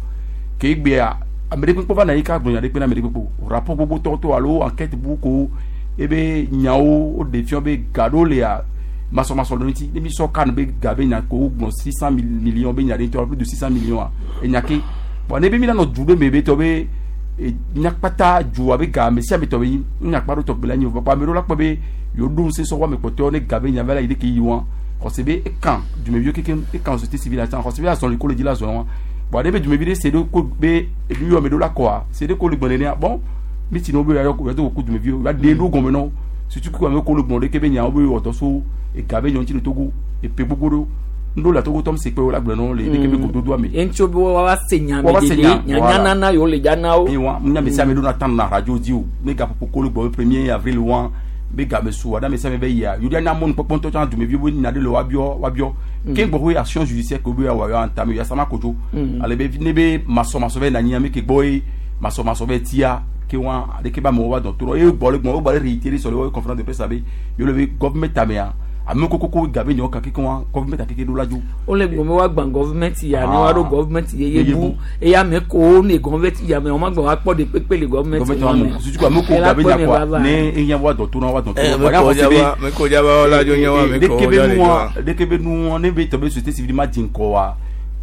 S18: ke egbea ame ɖe kpekpe va na yi ka gblɔ nya ɖe kpe na ame ɖe kpekpe o rapport gbogbo tɔtɔ alo enquête bu ko ebe nyawo wo ɖe fia be ga ɖewo lea masɔmasɔ ɖe ŋuti ne mi sɔ kan be ga be nya ko gblɔ six cent millions be nya ɖe ŋutɔ plus de six cent millions a enya ke bon ne be mi la nɔ du ɖe me be tɔ be nyakpata dua be ga ame sia ame tɔ be nyakpa ɖo tɔgbe la nyi o papa ame ɖewo la kpɔ be yewo ɖo ŋusẽ sɔ wo ame kpɔtɔewo ne ga be nya va la yi ɖe ke yi wa xɔse be ekan dumeviwo kekem ekan société civile la tsã xɔse be azɔli ko le dzi la zɔ wa bon ne be dumevi ɖe se ɖo ko be enu yɔ ame ɖewo la kɔa se ɖe ko le gbɔ nenea bon mi ti ne wo be yɔ yɔ to ko dumeviwo ya ɖe ɖo gɔme nɔ surtout ko ame ko le gbɔ ɖe ke be nyawo be wɔ dɔ so ega be nyɔ ŋuti le Togo epe gbogbo ɖo ŋɖo le Togo tɔm se kpe wo la gblɔ nɔ le ɖeke be gododoa me.
S1: Eŋutsu be wa se nya me dede nyanya nana yewo le dza na wo.
S18: Ewa nya me sia ame ɖo na tan na radio dzi o ne gaƒoƒo ko le gbɔ be premier avril wa be game su wa ame sia ame be yia yewo na mɔnu kpɔkpɔ ŋutɔ tsã dumeviwo be nya ɖe le woabiɔ woabiɔ ke gbɔ action judiciaire ke wo be awɔ yɔ antame ya sama kodzo ale be ne be masɔmasɔ be nanyi ame ke gbɔ ye masɔmasɔ be tia ke wa ɖeke be amewo va dɔn to eye gbɔ le gbɔ wo gbɔ le réitérer sɔ le wo conférence de presse abe yewo le be gouvernement tamea ame kokoko gabe nyawo kake ke wa gouvernement akeke ɖo la dzo.
S1: Wole gblɔ be woagbã gouvernement ya ne woaɖo gouvernement yeye bu eye ame kowo ne gouvernement ya me wɔn magba woakpɔ ɖe kpekpe le gouvernement
S18: wa me. Susu ko ame ko gabe nya kɔa ne ehiã wa dɔn to na wa dɔn to.
S4: Me ko jaba la dzo nye wa me ko
S18: jaba le dzo. Ɖeke be nua ne be tɔ be société civile ma dzi ŋkɔ wa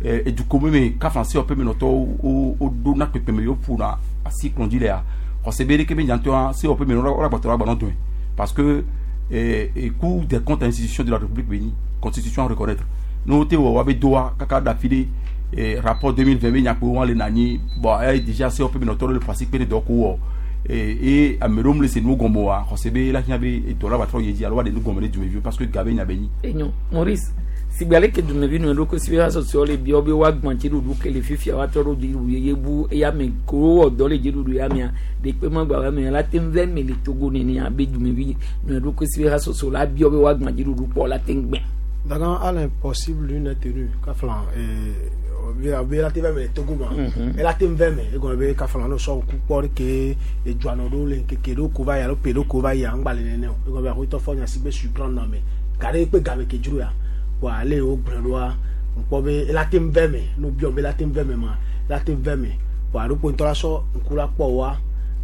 S18: edukɔ me me kafa se ɔƒe me nɔtɔ wo wo ɖo na kpekpe me yewo ƒona asi kplɔ dzi lea xɔse be ɖeke be nyatɔa se ɔƒe me nɔ wo la gbɔtɔ la gbanɔ dɔn parce que et, et Cour des comptes institutions de la République béni constitution à reconnaître nous te wa be doa kaka da fide et rapport deux mille vingt be nyakpo wa le nani bon eh déjà c'est open notre le principe de doko et et amerom le c'est nous gombo wa xɔse la nya be dollar ba tro yeji alo wa de nous gombo de dumevi parce que gabe nya be ni
S1: enyo Maurice sigbale ke dumevi nu ɖo ko si be asosio le biɔ be woagbã dziɖuɖu ke le fifia woatrɔ ɖo dziɖuɖu yeye bu eya me ko wowɔ dɔ le dziɖuɖu ya mea ɖekpe magba wa mea la te ŋu vɛ me le Togo nenea be dumevi nu ɖo ko si be asosio la biɔ be woagbã dziɖuɖu kpɔ la te ŋu gbɛ.
S19: Dagan à l'impossible l'une est tenue kaflan be la te vɛ me le Togo ma ela te ŋu vɛ me egɔme be kaflan no sɔ ŋku kpɔ ɖe ke edzuanɔ ɖo le ŋkeke ɖo ko va yi alo pe ɖo ko va yi aŋgba le nene o egɔme be ahoyitɔ fɔ nya si be surprendre na me ga ɖe kpe game ke dzro ya wa ale wo gblɔ ɖoa ŋkpɔ be ela te ŋu vɛ me no biɔ be ela te ŋu vɛ me ma ela te ŋu vɛ me wa alo kpo ŋutɔ la sɔ ŋku la kpɔ wa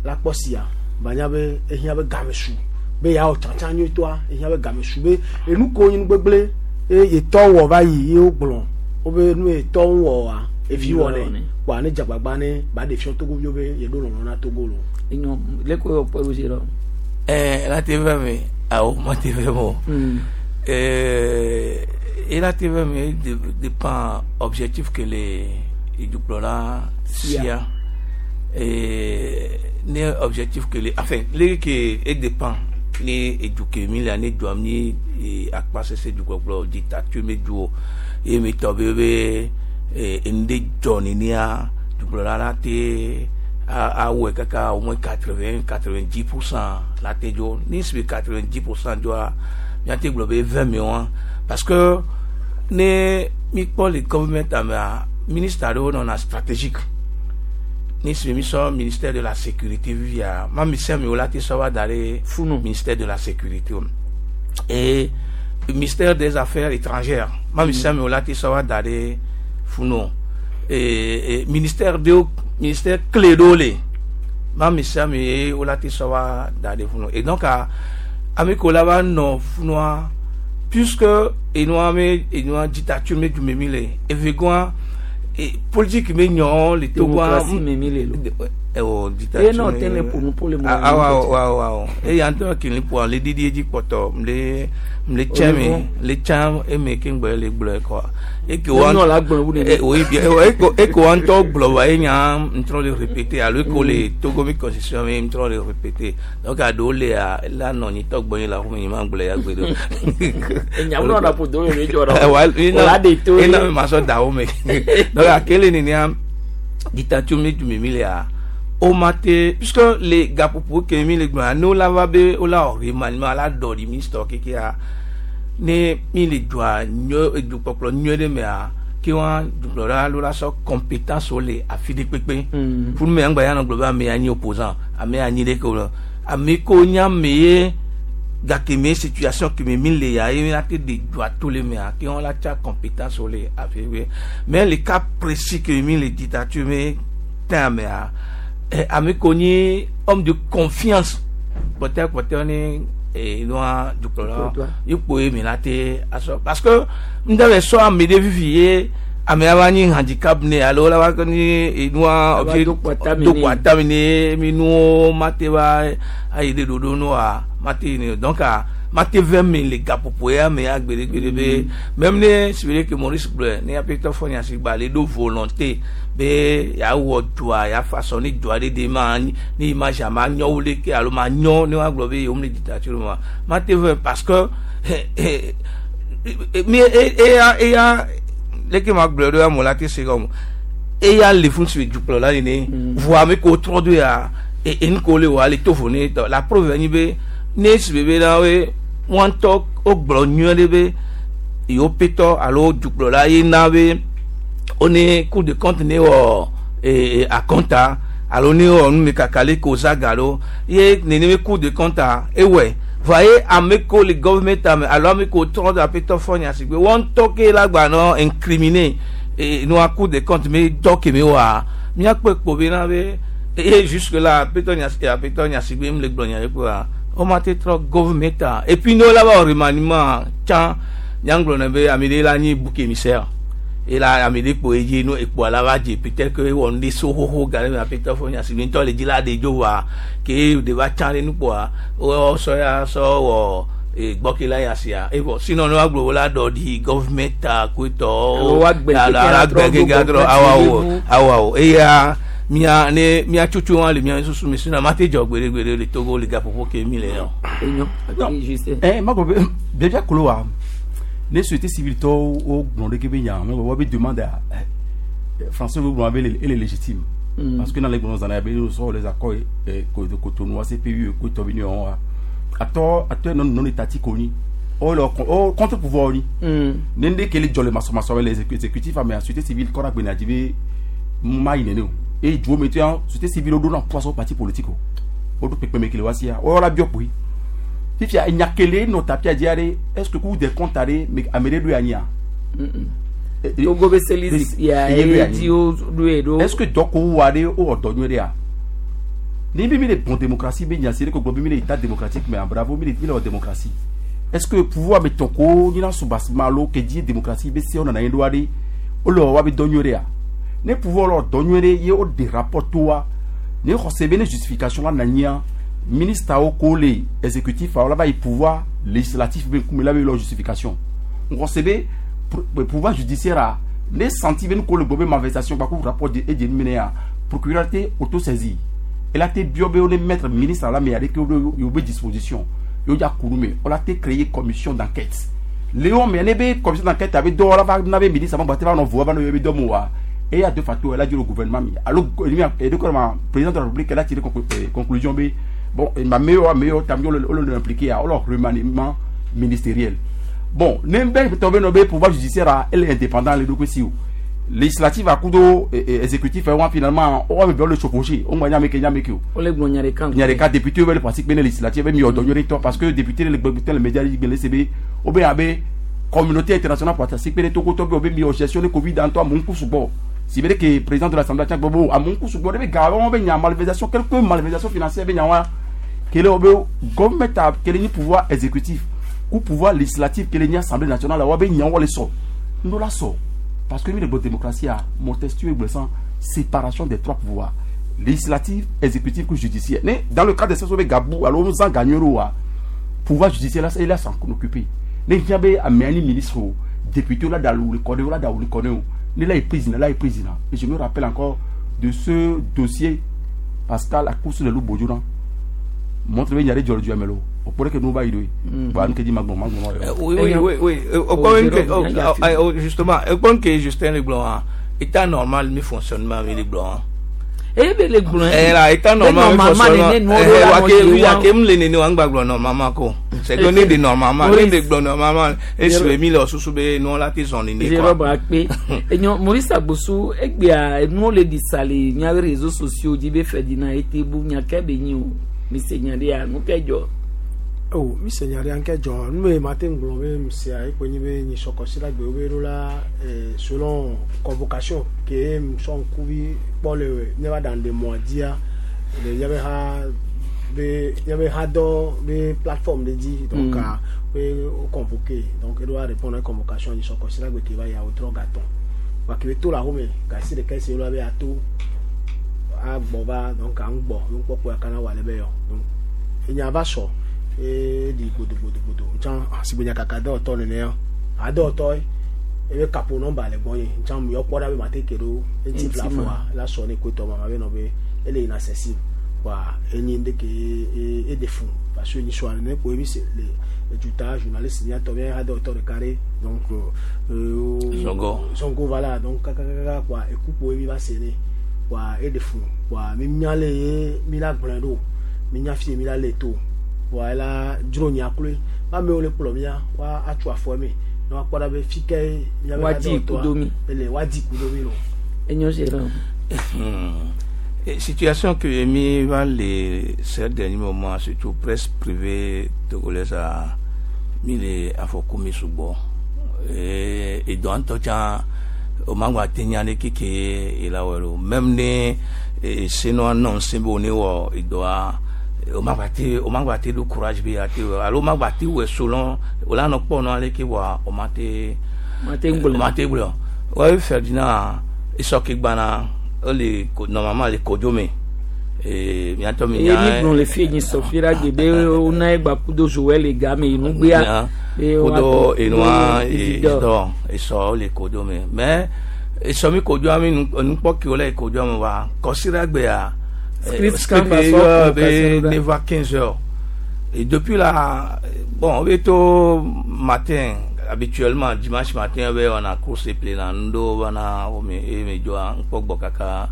S19: la kpɔ sia banya be ehiã be game su be ya wɔ tsatsa nyuitɔa ehiã be game su be enu ko nyi nu gbegble eye yetɔ wɔ va yi ye wogblɔ wobe nu yetɔ ŋu wɔ wa evi wɔ nɛ wa ne dzagbagba ne ba ɖe fiɔ Togoviwo be yeɖo lɔlɔ na Togo lo.
S1: Enyo le ko yɔ kpɔ ɖo
S13: ɛɛ ela te vɛ me awɔ ma te vɛ me o. Euh, et la T V M dépend objectif que les dukplɔla sia et ne objectif que les enfin les que et dépend ne eduke mi la ne dua mi akpa sese dukplɔkplɔ dictature mi du ye mi tɔ be be ende dzɔ nenia dukplɔla la te awɔe kaka au moins quatre-vingts quatre-vingt-dix pour cent la te dzo ni si quatre-vingt-dix pour cent dzoa miate gblɔ be vingt millions parce que ne mi kpɔ le government amea ministre aɖewo nɔna stratégique ni si mi sɔ ministère de la sécurité vivia ma mi sɛ mi wo la te sɔ va da ɖe ministère de la sécurité o et ministère des affaires étrangères ma mi sɛ mi wo la te sɔ va da ɖe funu et, et ministère de ministère clé ɖewo le ma mi sɛ mi ye wo la te sɔ va da ɖe funu et donc a ame ko la va nɔ funua Puisque enua me enua dictature me du me mi le evegua e politique me nyɔ le Togoa.
S1: Démocratie me mi le lo.
S13: Ɛwɔ dictature.
S1: E nɔ tɛnɛ ƒo nu po le mo.
S13: Awa awa awa eya ŋutɔ kele ƒoa le didi edzi kpɔtɔ mle mle tsɛ me le tsã eme ke ŋgbɛ le gblɔe kɔa. Eke wa
S1: Enɔ la gblɔ wu nene.
S13: Oui bien eko eko wa ŋutɔ gblɔ wa enya ŋtrɔ le répéter alo eko le Togo mi constitution mi ŋtrɔ le répéter, donc aɖewo lea la nɔ nyi tɔ gbɔnyi la xɔme nyi ma gblɔ ya gbe ɖo.
S1: Enyawo nɔ na ƒo do le dzɔ ɖɔ.
S13: Wa
S1: O la de to.
S13: Ena mi ma sɔ da wo me, donc akele nenea dictature mi du mi mi lea o ma te, puisque le gaƒoƒo ke mi le gblɔ ne wo la va be wo la wɔ remaniement la dɔ ɖi ministre kekea ne mi le dua nyɔ edukpɔkplɔ nyuie ɖe mea ke wa dukplɔla lo la sɔ compétence wo le afi ɖe kpekpe funu me ŋgba ya nɔ gblɔ be ame ya nyi opposant, ame ya nyi ɖe ke o le ame ko nye ame ye gake me situation ke me mi le ya ye mi la te de dua to le mea ke wɔn la tsa compétence wo le afi ɖe, mais le cas précis ke mi le dictature me tɛn mea eh, ame ko nyi homme de confiance kpɔtɛ kpɔtɛ ni eh, nua dukplɔla ikpo ye mi la te asɔ, parce que n tɛ bɛ sɔ ame ɖe fifi ye ame va nyi handicap ne alo la va ni nua dokpo atami ne mi nuwo ma te va ayi ɖe ɖoɖo nua ma te ne, donc a ma te vɛ mi le gaƒoƒo ya me ya gbeɖegbeɖe be même ne si be ke Maurice gblɔe ne aƒetɔ fɔ nya si gba le ɖo volonté be yeawɔ dua yeafa sɔ ne dua ɖe de ma ne image ma nyɔ wo leke alo ma nyɔ ne woagblɔ be yewo le dictature ma ma te vɛ, parce que mi eya eya leke ma gblɔe ɖo ya mo la te se gɔme eya le fún si dukplɔla nene voa ame ko trɔ do ya enu ko le wɔ ale to vo ne tɔ la preuve nyi be ne si be na we wọn ŋutɔ wogblɔ nyuie ɖe be yewo petɔ alo dukplɔla ye na be wone Cour de compte ne wɔ ee akɔnta alo ne wɔ numekaka le ko zaga ɖo ye nene be Cour de compte a ewɔe voa ye ame ko le gouvernement ame alo ame ko trɔ do aƒetɔ fɔ nya si gbe wɔn ŋutɔ ke la gba nɔ incriminer ee nua Cour de compte me dɔ ke me wɔa míakpɔe kpo be na be eye jusque là aƒetɔ nya aƒetɔ Nyasigbe mu le gblɔ nya ɖe kpoa woma te trɔ gouvernement a. Et puis ne wo la va wɔ remaniement tsã nyaŋgblɔ ne be ame ɖe la nyi bouc émissaire et la ame ɖe kpo edzi nu ekpoa la va dze peut-être que ewɔ nu ɖe so xoxo ga ɖe me aƒetɔ fɔ Nyasigbe ŋutɔ le dzi la ɖe dzo voa ke ɖe va tsã ɖe nukpoa wo sɔ ya sɔ wɔ gbɔke la ya sia evɔ sinon ne woagblɔ wo la dɔ ɖi gouvernement a koetɔ alagbe gege atrɔ awawo awawo eya mia ne mia tsotso wa le mia susu mi sinon ma te dzɔ gbeɖegbeɖe le Togo le gaƒoƒo ke mi le yɔ.
S18: Eh, ma gblɔ be biabia kolo wa ne société civile tɔwo wo gblɔ ɖeke be nya me wo be demande a français wo gblɔ be ele légitime mm. parce que dans les gblɔ zana be nous sɔ les accords de Cotonou A C P U ko tɔ bi ni wɔn wa atɔ atɔ non non étatique oni o le o contre pouvoir oni ne ne kele jɔ le masɔmasɔ les exécutifs ame société civile kɔra gbena dzi be ma yi nene o eye duwo me to ya société civile wo ɖo na poisson parti politique o wo ɖo kpekpeme kele wa sia wo la biɔ kpoyi fifia enyakele nɔ tapia dzi aɖe, est ce que Cour des comptes aɖe ame ɖe ɖo anyia.
S1: Togo be seli ya ye di wo ɖoe ɖo.
S18: Est ce que dɔko wo aɖe wowɔ dɔ nyuie ɖea ni bi mi le bon démocratie be nya si ɖe ko gblɔ be mi le état démocratique mais bravo mi le mi le wɔ démocratie, est ce que pouvoir me tɔn ko nyina soubassement alo ke dzi démocratie be se wo nana anyi ɖo aɖe wole wɔ wa be dɔ nyuie ɖea ne pouvoir le wɔ dɔ nyuie ɖe ye wo de rapport to wa ne xɔse be ne justification la na nyia ministre awo ko le exécutif awo la va yi pouvoir législatif be ŋkume la be lɔ justification xɔse be pouvoir judiciaire a ne senti be nu ko le gbɔ be malversation kpakpo rapport de edze nu ya procureur te autosaisir ela te biɔ be wo ne mettre ministre la me aɖe ke wo yewo be disposition yewo dza ku nu me wola te créer commission d'enquête léon me ne be commission d'enquête abe dɔwɔla va na be ministre ma gba te va nɔ vo va nɔ yewo be dɔ mo wa eya de facto ela dzi le gouvernement mi alo eɖe kɔ ma président de la République ela tiré conclusion be bon ma meilleur meilleur tam yo le le impliqué a wole remaniement ministériel. Bon ne bɛ tɔ be nɔ be pouvoir judiciaire a ele indépendant le ɖokui si o législative akudo exécutif wa finalement o wa bɛ le chevaucher o ŋgba nya ke nya ke o.
S1: O le gblɔ nya ɖeka.
S18: Nya ɖeka député bɛ le parti kpe ne législative bɛ mi yɔ dɔ nyuie tɔ parce que député le gbɛgbɛ le média yi gbɛlɛ sebe o bɛ abe communauté internationale parti kpe ne tokotɔ bɛ o bɛ mi yɔ gestion de Covid dans toi mun kusugbɔ si bɛ ke président de l'Assemblée tiɲɛ gbɔ a mun kusugbɔ de bɛ ga wɔn bɛ nya malversation quelque malversation financière bɛ nya wa kele o bɛ gouvernement ta kele ni pouvoir exécutif. Ku pouvoir législatif ke le nye assemblée nationale wa be nyawo le sɔ ŋdo la sɔ parce que mi le gblɔ démocratie a Montesquieu gblɔ san séparation des trois pouvoirs législatif exécutif que judiciaire ne dans le cadre de ce be gabu alo nu zã ganyuie ɖo wa pouvoir judiciaire la il a s'en occuper ne hiã be amea ni ministre o député la da wuli kɔ ne la da wuli kɔ ne o ne la ye président la ye président et je me rappelle encore de ce dossier Pascal Akousou le Bodjona montre be nya ɖe dzɔ le dua me lo o kpɔ ɖe ke nu va yi ɖo ye bon nu ke dzi ma gbɔn ma gbɔn
S4: Euh, Oui, oui, oui, oui. Euh, au point que, oh, oh, oh, justement, au point que Justin Leblanc, état normal, mi fonctionnement, mi Leblanc.
S1: eye be le gblɔ
S4: Eh là, état normal, mi fonctionnement. Eh, wa ke, oui, wa ke m le nene wa ngba gblɔ normalement ko. C'est que ne de normalement, ne de gblɔ normalement. Et sur mi le susu be non la te zon nene quoi.
S1: Jérôme akpe enyo Maurice Agbosu egbea enuwo le ɖi sa le miaƒe réseaux sociaux dzi be Ferdinand ete bu nya ke be nyi o mi se nya ɖea nu ke dzɔ.
S19: o mi se nya ɖe anke dzɔ nu me ma te ŋgblɔ be sia ekpe nyi be nyi sɔkɔsi la gbe wo be ɖo la eh, selon convocation ke sɔ ŋkuvi kpɔ le míava ɖaŋu ɖe mɔa dzia le míabe ha be míabe ha dɔ be plateforme ɖe dzi donc mm. be wo convoqué donc eɖo la répondre à convocation nyi sɔkɔsi la gbe ke va yia wotrɔ gatɔn wa ke be to le axome gasi ɖeka esi wo la be ato agbɔ va donc aŋgbɔ nukpɔkpɔ ya kana wɔ ale be yɔ donc enya va sɔ eɖi gbodogbodogbodò ntsã sigbe nyakaka dɔwɔtɔ nenea adɔwɔtɔ ebe kapo nɔmba le gbɔnye ntsã yɔ kpɔ ɖa be mate ke ɖo eŋuti
S1: Ŋuti ma.
S19: flafoa la sɔ ne koetɔ ma ma be nɔ be ele yina sɛsi wa enyi ŋɖe ke e eɖe fun parce que nyi sɔa nene kpo ebi se le eduta journaliste miatɔ mia adɔwɔtɔ ɖeka ɖe donc euh,
S4: Zongo.
S19: zongo voilà donc kakakaka kpoa ekukpo ebi va se ne kpoa eɖe fun kpoa mi mia le ye mi la gblɔe ɖo mi nya fi mi la le to kpoa ela dzro nya kloe ba amewo le kplɔ mia wa atso afɔ me ne woakpɔ ɖa be fi ke miabe
S1: Woadi
S19: adɔwɔtɔa
S1: kudo mi.
S19: ele woadi kudo mi lo.
S1: Enyo Jérôme.
S4: Hmm. Et situation que mi va les ces derniers moments surtout presse privée togolaise a mi le afɔku mi sugbɔ et et donc ŋutɔ tsã o ma gba te nya ɖe keke ela wɔ lo même ne eh, senua nɔ ŋusẽ be wo ne wɔ edɔa o ma gba te o ma gba te ɖo courage be ya te wɔ alo o ma gba te wɔ selon o la nɔ kpɔ nɔ ale ke wɔa o ma te
S1: Ma te ŋgblɔ.
S4: o ma te gblɔ wɔye Ferdinand esɔke gbana ele ko normalement le kodzo me ee miatɔ mi
S1: eye mi gblɔ le fi nyi sɔ fi la gbe be wona egba kudo Joël le game yi nugbea. be
S4: kudo
S1: woato-
S4: enua
S1: Isidore.
S4: Isidore esɔ le kodzo me mais esɔ mi kodzo mi nukpɔ ke wole kodzo me wa kɔsira gbea
S1: Script
S4: script
S1: kan va sɔ
S4: be
S1: convocation ɖa.
S4: ne va quinze heures et depuis là bon be to matin habituellement dimanche matin be wɔna course plena ŋdo bana wo me e me dzɔa ŋkpɔ gbɔ kaka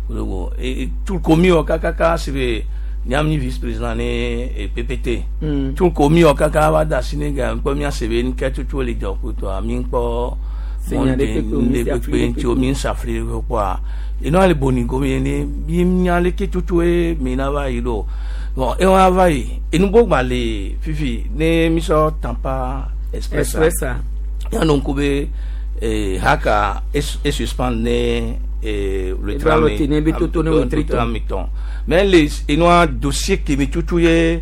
S4: kudogo et tout komi wɔ kakaka si be nyam vice président ne e PPT
S1: Mm.
S4: tout komi wɔ kaka va da asi ne ga ŋkpɔ mia se be ŋkɛ tutu le dzɔ kutɔa mi ŋkpɔ
S1: Se nya ɖe kpekpe o, mi
S4: ŋɖe
S1: si afli
S4: kpekpe
S1: ɖe
S4: ŋuti o mi ŋsafli ɖe kpɔa enua le boni gomi ne mi nya leke tutu ye mi na va yi ɖo bon ewa va yi enugbo gba le fifi ne mi sɔ Tampa Express
S1: Express a.
S4: ya no ŋku be eh, haka es e suspend ne eh, le
S1: Eva
S4: tram
S1: lɔ te ne be toto ne wetri tɔn.
S4: tram tɔn mais le enua dossier ke mi tutu ye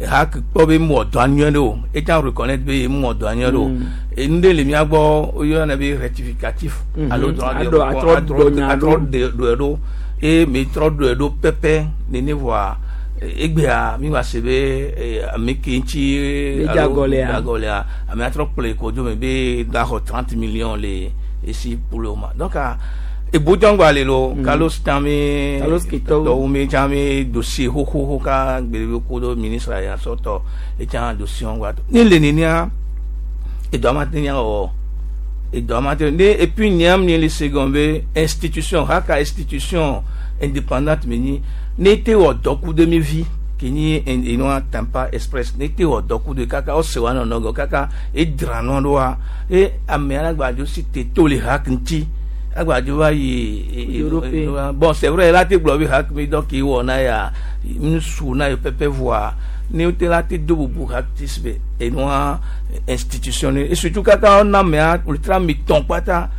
S4: hak kpɔ be mɔ dɔ anyuie ɖe o etsã reconnaître be mɔ dɔ anyuie ɖe o
S1: Mm.
S4: enu ɖe le mía gbɔ woyɔna be rectificatif
S1: Mhm.
S4: alo drɔ
S1: Aɖɔ- atrɔ dɔ nya
S4: atrɔ
S1: ɖo.
S4: ɖe ɖɔe ɖo eye mi trɔ ɖɔe ɖo pɛpɛ nene voa egbea mi va se be eh, ame ke ŋuti
S1: Be
S4: alo
S1: dzagɔlea.
S4: dzagɔlea ame atrɔ kplɔe kodzo me be da xɔ trente millions le esi pour le moment donc ah, ebodzɔngba le lo
S1: Mm.
S4: Carlos Tame
S1: Carlos Ketɔwo.
S4: tɔwo mi tsã mi dossier xoxoxo ka gbe be ko do ministre ya sɔtɔ etsã dossier ŋgba to ne le nenia edɔ ma te nya wɔ edɔ ma te ne et puis nyam ni le second be institution haka institution indépendante me nyi ne te wɔ dɔku de mi vi ke nyi enua Tampa Express ne te wɔ dɔku de kaka ɔse wa nɔnɔ gɔ kaka edra nɔ ɖoa e ame alagbadzo si te to le hak ŋuti agbadzo va yi e- e-
S1: Europe.
S4: e- bon c'est vrai la te gblɔ be hak mi dɔ ke wɔ na ya nusu na yi pɛpɛ voa ne te la te do bubu hak ti si be enua institution ne et surtout kaka ɔna mea ultra mi tɔn kpata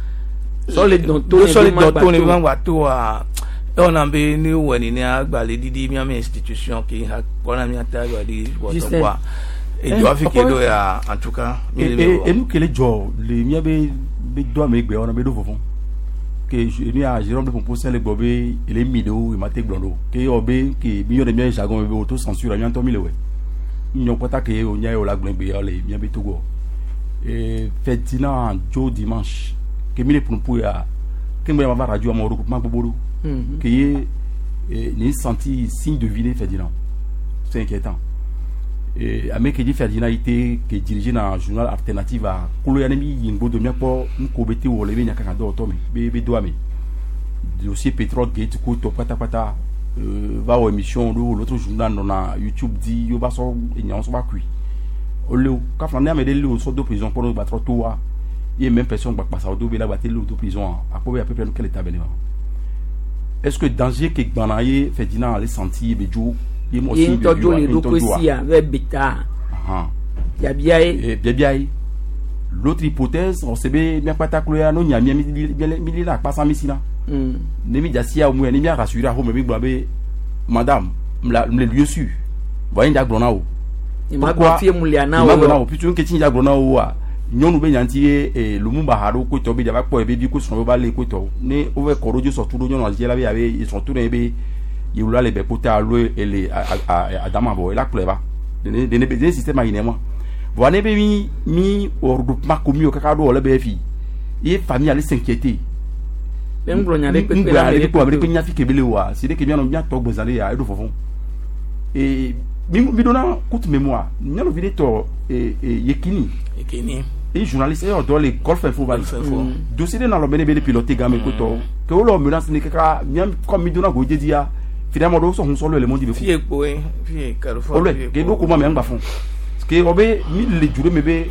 S1: Sɔ le dɔn to ne
S4: sɔ le
S1: be ma
S4: dɔn to ne
S1: gba
S4: be ma
S1: to.
S4: gba to wa ewɔna be ne wɔ nene agbalẽ ɖiɖi miame institution ke ha kpɔna mia ta agbalẽ ɖiɖi
S1: Justin.
S4: wɔtɔ kɔa Edɔ afi ke do ya en tout cas mi le
S18: E enu kele dzɔ le miabe be do ame gbe wɔna be ɖo vɔvɔ̃ ke enu ya Jérôme de Pompo le gbɔ be ele mi ɖewo ema te gblɔ ɖo ke yɔ be ke mi yɔ ɖe mia jargon be auto censure mia ŋutɔ mi le wɔ nyɔ kpata ke o nya ye o la gblẽ gbe ya le mia be Togo e Ferdinand dzo dimanche ke mi le ƒonuƒo ya ke ŋgbe ma va radio amewo ɖo kuma gbogbo ɖo ke ye ni senti signe de vie Ferdinand c'est inquiétant et ame ke dzi Ferdinand yi te ke dirigé na journal alternative a kolo ya ne mi yi ŋgbo do miakpɔ nuko be te wɔ le be nyakaka dɔwɔtɔ me be be doa me dossier pétrole gate ko tɔ pátápátá euh, va wɔ émission ɖo l'autre journal nɔna YouTube di yo va sɔ enyawo sɔ va kui ole o kafla ne ame ɖe le o sɔ do prison kpɔ ne gbatrɔ to wa ye même personne gba kpasa o do be la gba te le o do prison a akpɔ be à peu près nu ke le ta bene ma est-ce que danger ke gbana ye Ferdinand ale senti ye be dzo ye mɔ
S1: ye ŋutɔ dzo le ɖokui sia ve beta biabia ye
S18: biabia ye l'autre hypothèse on sait be miakpata klo ya no nya mia mi li la akpasa mi si na ne mi dza sia mu ya ne mia rassurer axome mi gblɔ be madame mle lieu sûr bon ye dza gblɔ na o
S1: pourquoi fie mu lia na
S18: o gblɔ na o puisque nke tsi dza gblɔ na o wa nyɔnu be nyanti ye Lumumba ha ɖo kotɔ be dzava kpɔ ye be vi ko srɔ̃ va le kotɔ ne wove kɔ ɖo dzi sɔtu ɖo nyɔnua dzi la be yabe srɔ̃tu ne be yewula le bɛ kota alo ele adama bɔ ela kplɔe va dene dene dene système ayi ne ma voa ne be mi mi regroupement commun kaka ɖo wɔ le be fi ye famille ale s'inquiéter
S1: be ŋgblɔ nya ɖe kpekpe
S18: ŋgblɔ nya ɖe kpekpe ame ɖe kpe nya fi ke be le wa si ɖe ke mianɔ miatɔ gbezã ɖe ya eɖo vɔvɔ̃ et mi mi donna courte mémoire nyɔnuvi ɖe tɔ Yekini
S4: Yekini
S18: et journaliste eyɔ dɔ le Golf Info va yi dossier ɖe nɔ alɔ be ne be le piloter game kotɔ ke wo le menace ne kaka mia comme mi donna go dzedzia finalement ɖewo sɔ hun sɔ le le mɔdi be
S4: fie kpoe fie Carrefour
S18: olɛ ke ɖo ko ma mɛ ŋgba fɔn ke wɔ be mi le ju ɖe me be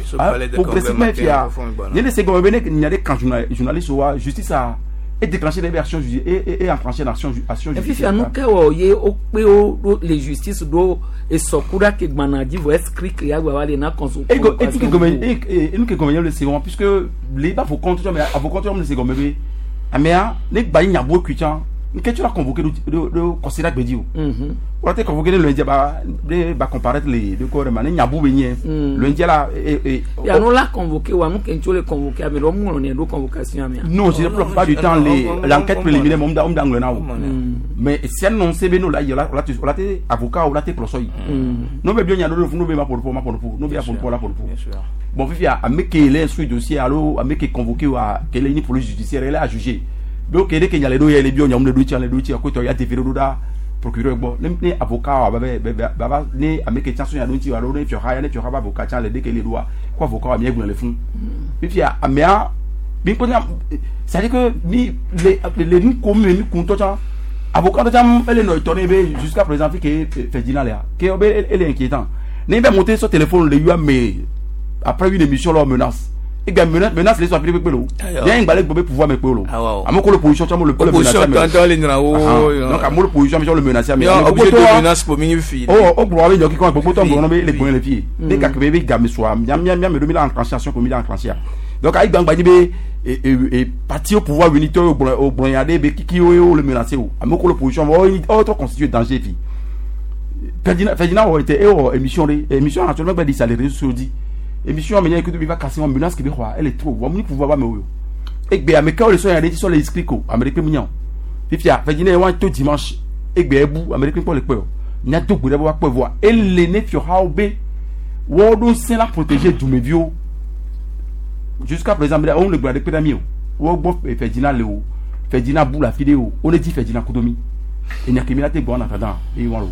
S18: progressivement fia ne le se gɔmɛ be ne nya ɖe kan journaliste wa justice a et déclenché des actions et et et enclenché l'action action
S1: judiciaire. Fifia nu ke wɔ ye wokpe wo ɖo le justice ɖo esɔku ke gbana dzi vɔ escrit ya gba va le na conso.
S18: Et et ke gɔmɛ et nu ke gɔmɛ le se wɔn puisque le ba fɔ compte mais a fɔ compte le se gɔmɛ be amea ne gba yi nyabo kui tsã nke tu la convoqué do do considère gbedzi o. Wọ́n te convoqué ne lundi ba ne ba comparaître le de ko ma ne nyabu be nye lundi la et
S1: ya no la convoqué wa nu ke ntso le convoqué ame ɖo mu ne ɖo convocation amea.
S18: Non, je ne pas du temps les l'enquête préliminaire mo da mo da ŋlɔ na o. Mais si annoncé be no la yi la la te la te avocat o la te kplɔsɔ yi. No be bi nya do no be ma polo ma polo no be ya polo la polo. Bon fifia ame ke le instruit dossier alo ame ke convoqué wa ke le ni police judiciaire elle a jugé. Donc ele ke nya le do ye le bi nya mo le do ti le do ti ko to ya te fere do da procureur gbɔ ne ne avocat wa ba ba ba ne ame ke tsa so ya do ti wa do ne fio ha ya ne fio ha ba avocat tsa le de ke le do wa ko avocat wa mi gblɔ le fún fifia amea mi ko nya c'est à dire que mi le le nu ko mi mi kun to tsa avocat to tsa ele no tɔ ne be jusqu'à présent fi ke Ferdinand le ke be ele inquiétant ne be monter sur téléphone le yua mais après une émission leur menace et bien menace menace les soit pele lo bien ngbale gbobe pouvoir me pelo amoko le position tsa mo le
S4: position tantôt le nra o
S18: donc amoko le position mais le menacer mais
S4: obligé de menace pour mini fi
S18: oh o gbo abe nyoki ko gbogbo to ngbono be le gbon le fi de ka be be ga me so miam miam miam do mi la enclencher action ko mi la enclencher donc ay gbangba ni be et et parti au pouvoir unitaire au gbo au gbo ya de be kiki o le menacer o amoko le position o autre constituer danger fi Ferdinand Ferdinand o était e émission émission actuellement ba di ça les réseaux sociaux dit émission amenya écoute bi va casser en menace qui be elle est trop wa mu pouvoir ba me yo e gbe ameka o le so ya de so le inscrit ko américain mignon fifia Ferdinand wa to dimanche e gbe ebu américain ko le pe o nya to gbe wa pe voa ele ne fio ha obe wo do sin la protéger du mevio jusqu'à présent on le gbe de pe mi o wo gbo Ferdinand le o Ferdinand bou la vidéo on le dit Ferdinand Kodomi et nya kemila te bon en attendant et voilà.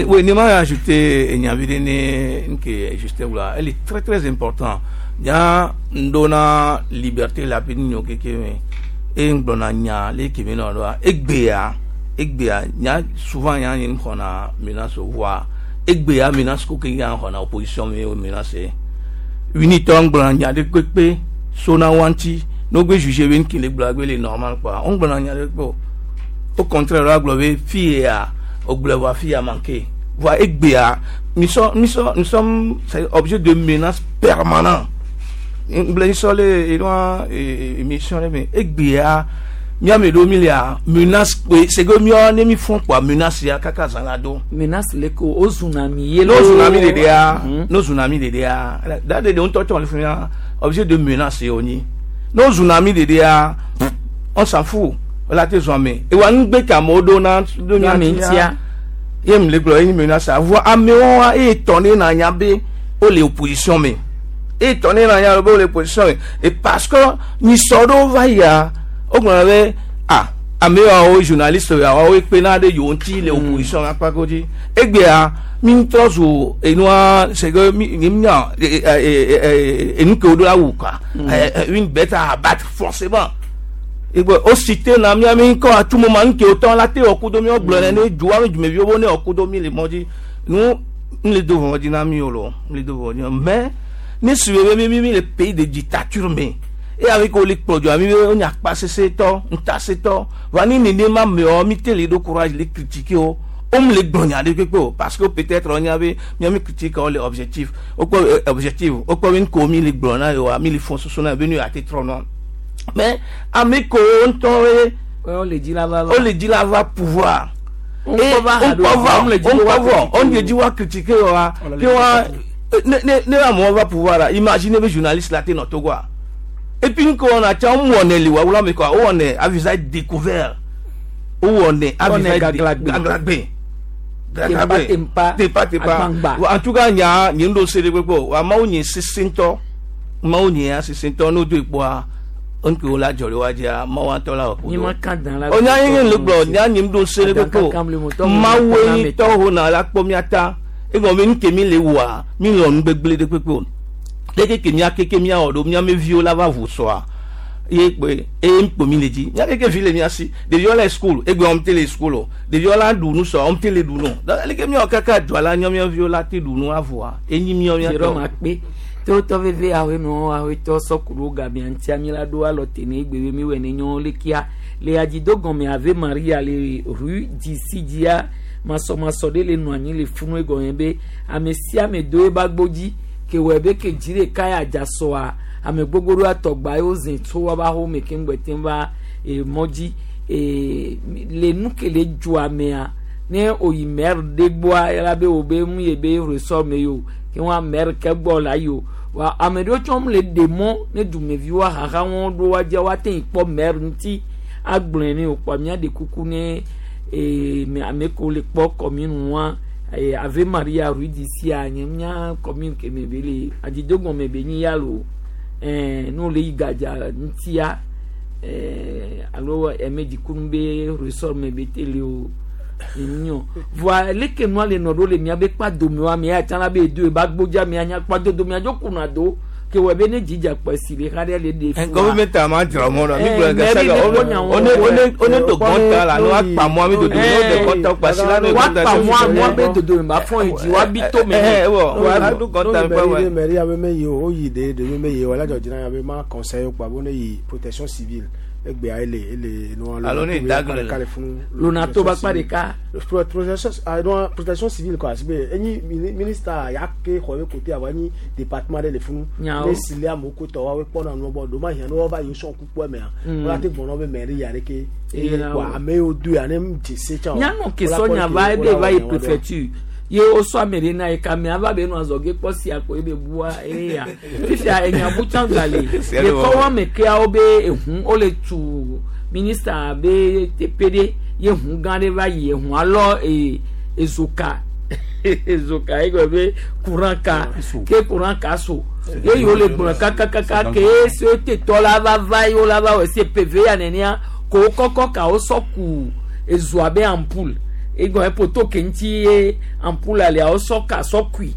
S4: Oui, ni m'a ajouté nya que juste là, elle est très très important. Nya ndona liberté la pini nyo keke me e ngbona nya le kemi no do egbea egbea nya souvent nya ni khona menace voir egbea menace ko ke nya khona opposition me menace unité ngbona nya de kpepe sona wanti no gbe juger ben ki le gbla gbe le normal quoi on ngbona nya de kpo au contraire la globe fille à au globe fille a manqué voit egbea nous sommes nous sommes nous sommes objet de menace permanente ngblen sole et loin émission mais egbea Miame ɖo mi lia menace kpe c'est que miɔ ne mi fɔn kpoa menace ya kaka zã la do.
S1: Menace le ko o zuna mi ye
S4: n'o zuna mi ɖeɖea n'o zuna mi ɖeɖea da ɖeɖe ŋutɔ tsɔ le fi mia objet de menace ye wonyi n'o zuna mi ɖeɖea on s'en fout wòle te zɔn ame ewa nugbe ke amewo ɖo na ɖo
S1: mia ŋutia
S4: ye mi le gblɔ ye menace avɔ amewo wa eye tɔ ne na nya be wole opposition me eye tɔ ne na nya be wole opposition me et parce que nyisɔ ɖewo va yia wogblɔ be ah ame yawo journaliste yawo kpena ɖe yewo ŋuti le opposition akpa ko dzi egbea mi ŋutɔ zu enua c'est que mi mi nya enu ke wo ɖo la wu quoi une bête à abattre forcément egbe o cité na mia mi ŋkɔ atu mo ma ŋke wotɔ la te wɔ kudo mi wogblɔ ne ne dzoa mi dumeviwo bo ne wɔ kudo mi le mɔ dzi nu n le do vɔvɔ dzi na mi o lo n le do vɔvɔ dzi na mais ne suivi be mi mi mi le pays de dictature me e avec wo le kplɔ dzoa mi be wo nye akpasese tɔ ŋutasẽtɔ va ni nenema meɔ mi te le ɖo courage le critiquer wo wo mu le gblɔ nya ɖe kpekpe o parce que peut-être wonya be mia mi critique wo le objectif wokpɔ objectif wokpɔ be nuko mi le gblɔ na yewoa mi le fɔ soso na ye be nu yeate trɔ nua mais ame kewo ŋutɔ ye
S1: wo le dzi la va
S4: wo le dzi la va pouvoir et ŋkpɔ va ŋkpɔ vɔ wo le dzi wa critiquer wa ke wa ne ne ne amewo va pouvoir la imagine be journaliste la te nɔ Togoa et puis ŋkɔ wɔna tsã wo wɔnɛ li wa wula me kɔa wo wɔnɛ à visage découvert wo wɔnɛ à visage gaglagbe
S1: gaglagbe tempa
S4: tepa tepa en tout cas nya nye ŋɖo se ɖe kpekpe o wa mawu nye sese ŋutɔ mawu nye ya sese ŋutɔ n'o do ekpoa nke wo la dzɔ ɖe wa dzia mawu ŋutɔ la wɔ
S1: ni ma kan dan la
S4: o nya ye le gblɔ nya nye ŋɖo se ɖe kpekpe o mawu ye tɔ ho na la kpɔ mia ta egɔme be nuke mi le wɔa mi lɔ nugbegble ɖe kpekpe o leke ke mia keke mia wɔ ɖo mia me viwo la va ʋu sɔa ye kpe eye ŋkpo mi le dzi mia keke vi le mia si ɖeviwo le school egbe wɔm te le school o ɖeviwo la ɖu nu sɔ wɔm te le ɖu nu donc leke mia wɔ kaka dzoa la nyɔ mia viwo la te ɖu nu avɔa enyi mia mia
S1: tɔ ma kpe tewotɔ veve awoe nɔ awoetɔ sɔkuɖo gamea ŋutia mi la ɖo alɔ te ne egbe be mi wɔ ne nyɔ lekia le adzido gɔme ave Maria le rue disi dzia masɔmasɔ ɖe le nɔ anyi le funu egɔme be ame sia ame do ebe agbo dzi ke wɔ be ke dzi ɖeka ya dza sɔa ame gbogbo ɖo atɔgba yewo zẽ tso woƒe axome keŋ gbɔ te va emɔ dzi ee le nu ke le dzoa mea ne oyi maire ɖe gbɔa ela be wo be mu ye be ressort me yi o ke wa maire ke gbɔ la yi o wa ame ɖewo tsɔ le ɖe mɔ ne dumeviwo ahaha wɔn ɖo wa dzia woate ŋu kpɔ maire ŋuti agblɔe ne o kpɔ mía ɖe kuku ne ee ame kewo le kpɔ commune wa ee Ave Maria rue d'ici a nye mía commune ke me be le adzidogɔme be nyi ya lo ɛɛ n'o le yi gadza ŋutia ɛɛ alo ɛmɛ dzikunu be ressort me be te le o nyɔ voa leke nua le nɔ ɖo le mía be kpa dome wa mía tsã la be edo eba gbodza mía nya kpa dodo mía dzo kuna do ke wɔ be ne dzidza kpɔ esi le xa ɖe le ɖe
S4: fua. Gɔvɛmɛnti a ma dzra mɔ la mi gblɔ gasa la o ne o ne o ne do gɔnta la ne wa kpa mɔ mi dodo ne o de gɔnta kpa si la ne
S1: wa kpa mɔ mɔ be dodo mi ba fɔn yi dzi wa bi to me.
S4: Ɛ wɔ wa do gɔnta mi
S19: pa wa. Mairie abe me yi o yi de de me yi o la dzɔ dzina abe ma conseil kpa bo ne yi protection civile egbea ele ele nua
S4: alo ne dagle
S19: le funu
S1: lunato ba kpa ɖeka
S19: protection ah protection civile quoi asibe enyi ministre ya ke xɔ be côté awɔ enyi département ɖe le funu ne sili amewo ko tɔ woawoe kpɔna nua gbɔ ɖo ma hiã ne woava yi sɔn kukua mea wala te gbɔnɔ be mairie ya ɖeke eye kɔ ame yiwo do ya ne dze se tsã
S1: nyanɔ ke sɔnya va ebe va yi préfecture ye wosɔ ame ɖe na yi kame ava be nɔ azɔge kpɔ sia ko ebe bua eya fifia enyabu tsã gba le le kɔwɔ me keawo be ehu wole tu ministre be teƒe ɖe ye hu gã ɖe va yi ehu alɔ ee ezoka ezoka ye gblɔ be courant ka ke courant ka so ye yiwo le gblɔ kakakaka ke esi wote tɔ la va va ye wo la va wɔ esi pv ya nenea ko wo kɔkɔ ka wo sɔ ku ezoa be ampoule egɔme poto ke ŋuti ye ampoule lia wo sɔ ka sɔ kui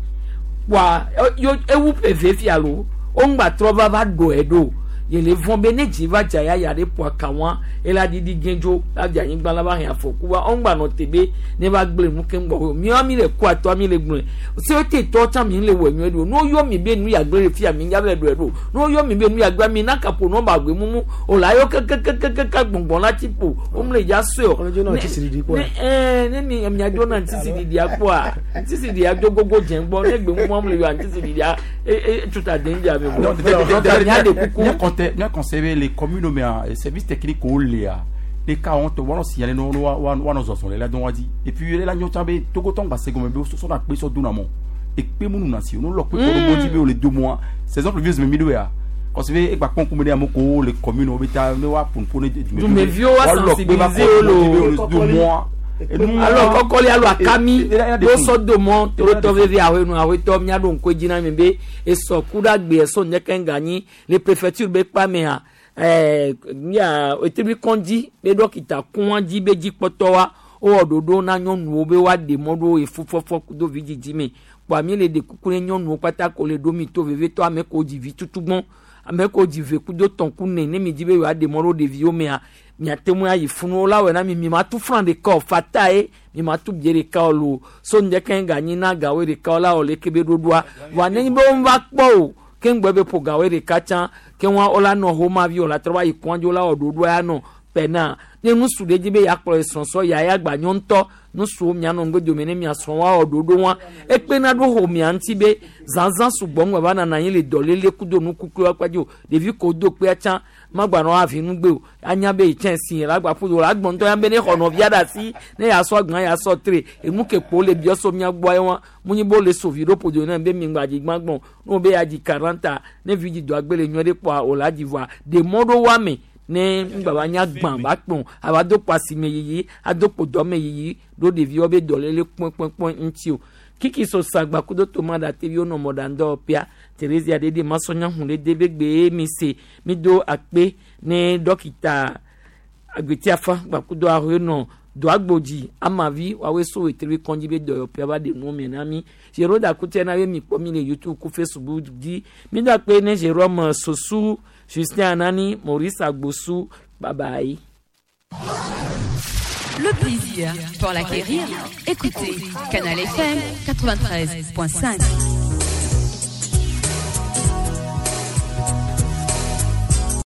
S1: wa yo ewu pv fia lo wo ŋgba trɔ va va ɖo ɖo yele vɔn be ne dzi va dza ya ya ɖe ƒo aka wa ela ɖiɖi gɛndzo la dzi anyigba la va hɛn afɔku wa wo ŋgba nɔ te be ne va gblẽ nu keŋ gbɔ miawo mi le kó atɔ mi le gblẽ se wo te tɔ tsã mi le wɔ nyuie ɖo ne woyɔ mi be nu ya gblẽ le fia mi ya va ɖo ɖo ne woyɔ mi be nu ya gblẽ mi na kapo nɔba gbe mumu o la yɔ kekekekeke gbɔngbɔn la ti ƒo wo mu le dza sɔe o ne ne ɛɛ ne mi mia dzo na ŋutisi ɖiɖia kpɔa ŋutisi ɖiɖia dzo gogo dze gbɔ ne gbe mumu mu le yɔ ŋutisi ɖiɖia e e tuta den dza mi bɔ donc mia de kuku.
S18: Mia conseiller les communes mais service technique au léa Ne ka wɔn tɔ wɔn signaler ne wa wa wa nɔ zɔzɔn le la dɔn wa di. Et puis la nyɔ tsã be Togo tɔn gba se gɔmɛ be sɔsɔ na kpe sɔ dona mɔ. Ekpe mu nuna si o no lɔ kpe kɔ ɖo dzi be o le do mɔa. Saison pluvieuse me mi ɖo ya. Kɔsi be egba kpɔn kume ɖe ame ko le commune wo be ta ne wa ƒoƒo ne
S1: Dumeviwo wa sensibiliser wo lo.
S18: do mɔa.
S1: Alo kɔkɔli alo akami wo sɔ do mɔ torotɔ veve awoe nu awoetɔ miaɖo ŋku edzi na mi be esɔ ku ɖe agbe esɔ ŋdeke ŋganyi le préfecture be kpa mea ɛɛ mia etebi kɔndzi be dɔkita kɔn dzi be dzikpɔtɔ wa wowɔ ɖoɖo na nyɔnuwo be woaɖe mɔ ɖo efufɔfɔ kudo vidzidzi me kpoa mi le ɖe kuku ne nyɔnuwo kpata ko le ɖo mi to vevetɔ ame ko dzi vi tutugbɔn ame ko dzi ve kudo tɔn ku ne ne mi dzi be yewoaɖe mɔ ɖo ɖeviwo mea miate ŋu ayi funu la wɔ na mi mi ma tu fran ɖeka o fata ye mi ma tu bie ɖeka o lo so ŋdeke ganyi na gawo ɖeka la o leke be ɖoɖoa wa ne be wo va kpɔ o ke ŋgbɛ be ƒo gawo ɖeka tsã ke wa wo la nɔ homa vi o la trɔ va yi kɔndzi la wɔ ɖoɖoa ya nɔ pɛna ne nusu ɖe dzi be yakplɔ esrɔ̃sɔ ya ya gba nyɔ ŋutɔ nusuwo mianɔ ŋgbedome ne miasrɔ̃ wa wɔ ɖoɖo wa ekpena ɖo xɔmia ŋuti be zazã sugbɔ ŋgba va nana anyi le dɔléle kudo nukukui wa kpadzi o ɖevi ko do kpea tsã magba nɔ avi nugbe o anya be itsɛ si la gba ƒo do la gbɔntɔ ya be ne xɔ nɔvia ɖe asi ne yasɔ agbã yasɔ tre enu ke kpo le biɔ so mia gbɔ ye wa munyi bo le sovi ɖo ƒodo ne be mi ŋgba dzi gbã gbɔn ne wo be ya dzi quarante ne vi dzi do agbe le nyuie ɖe kpoa o la dzi voa ɖe mɔ ɖo wa me ne ŋgba va nya gbã va kpɔn ava do kpo asime yiyi ado kpo dɔme yiyi ɖo ɖeviwo be dɔléle kpɔnkpɔnkpɔn ŋuti o kiki so sagba kudo tomada teviwo nɔ mɔɖaŋdɔ pia Theresia ɖeɖe masɔnya hun ɖe de be gbe mi se mi do akpe ne dɔkita agbetiafa gbakudo ahoe nɔ doagbodzi amavi woawoe so etri kɔndzi be dɔyɔƒea va ɖe nuwo me na mi Jérôme Dakutia na be mi kpɔ mi le YouTube ku Facebook dzi mi do akpe ne Jérôme Sosu Justin Anani Maurice Agbosu bye bye.
S6: Le plaisir, pour l'acquérir, écoutez Canal F M quatre-vingt-treize point cinq.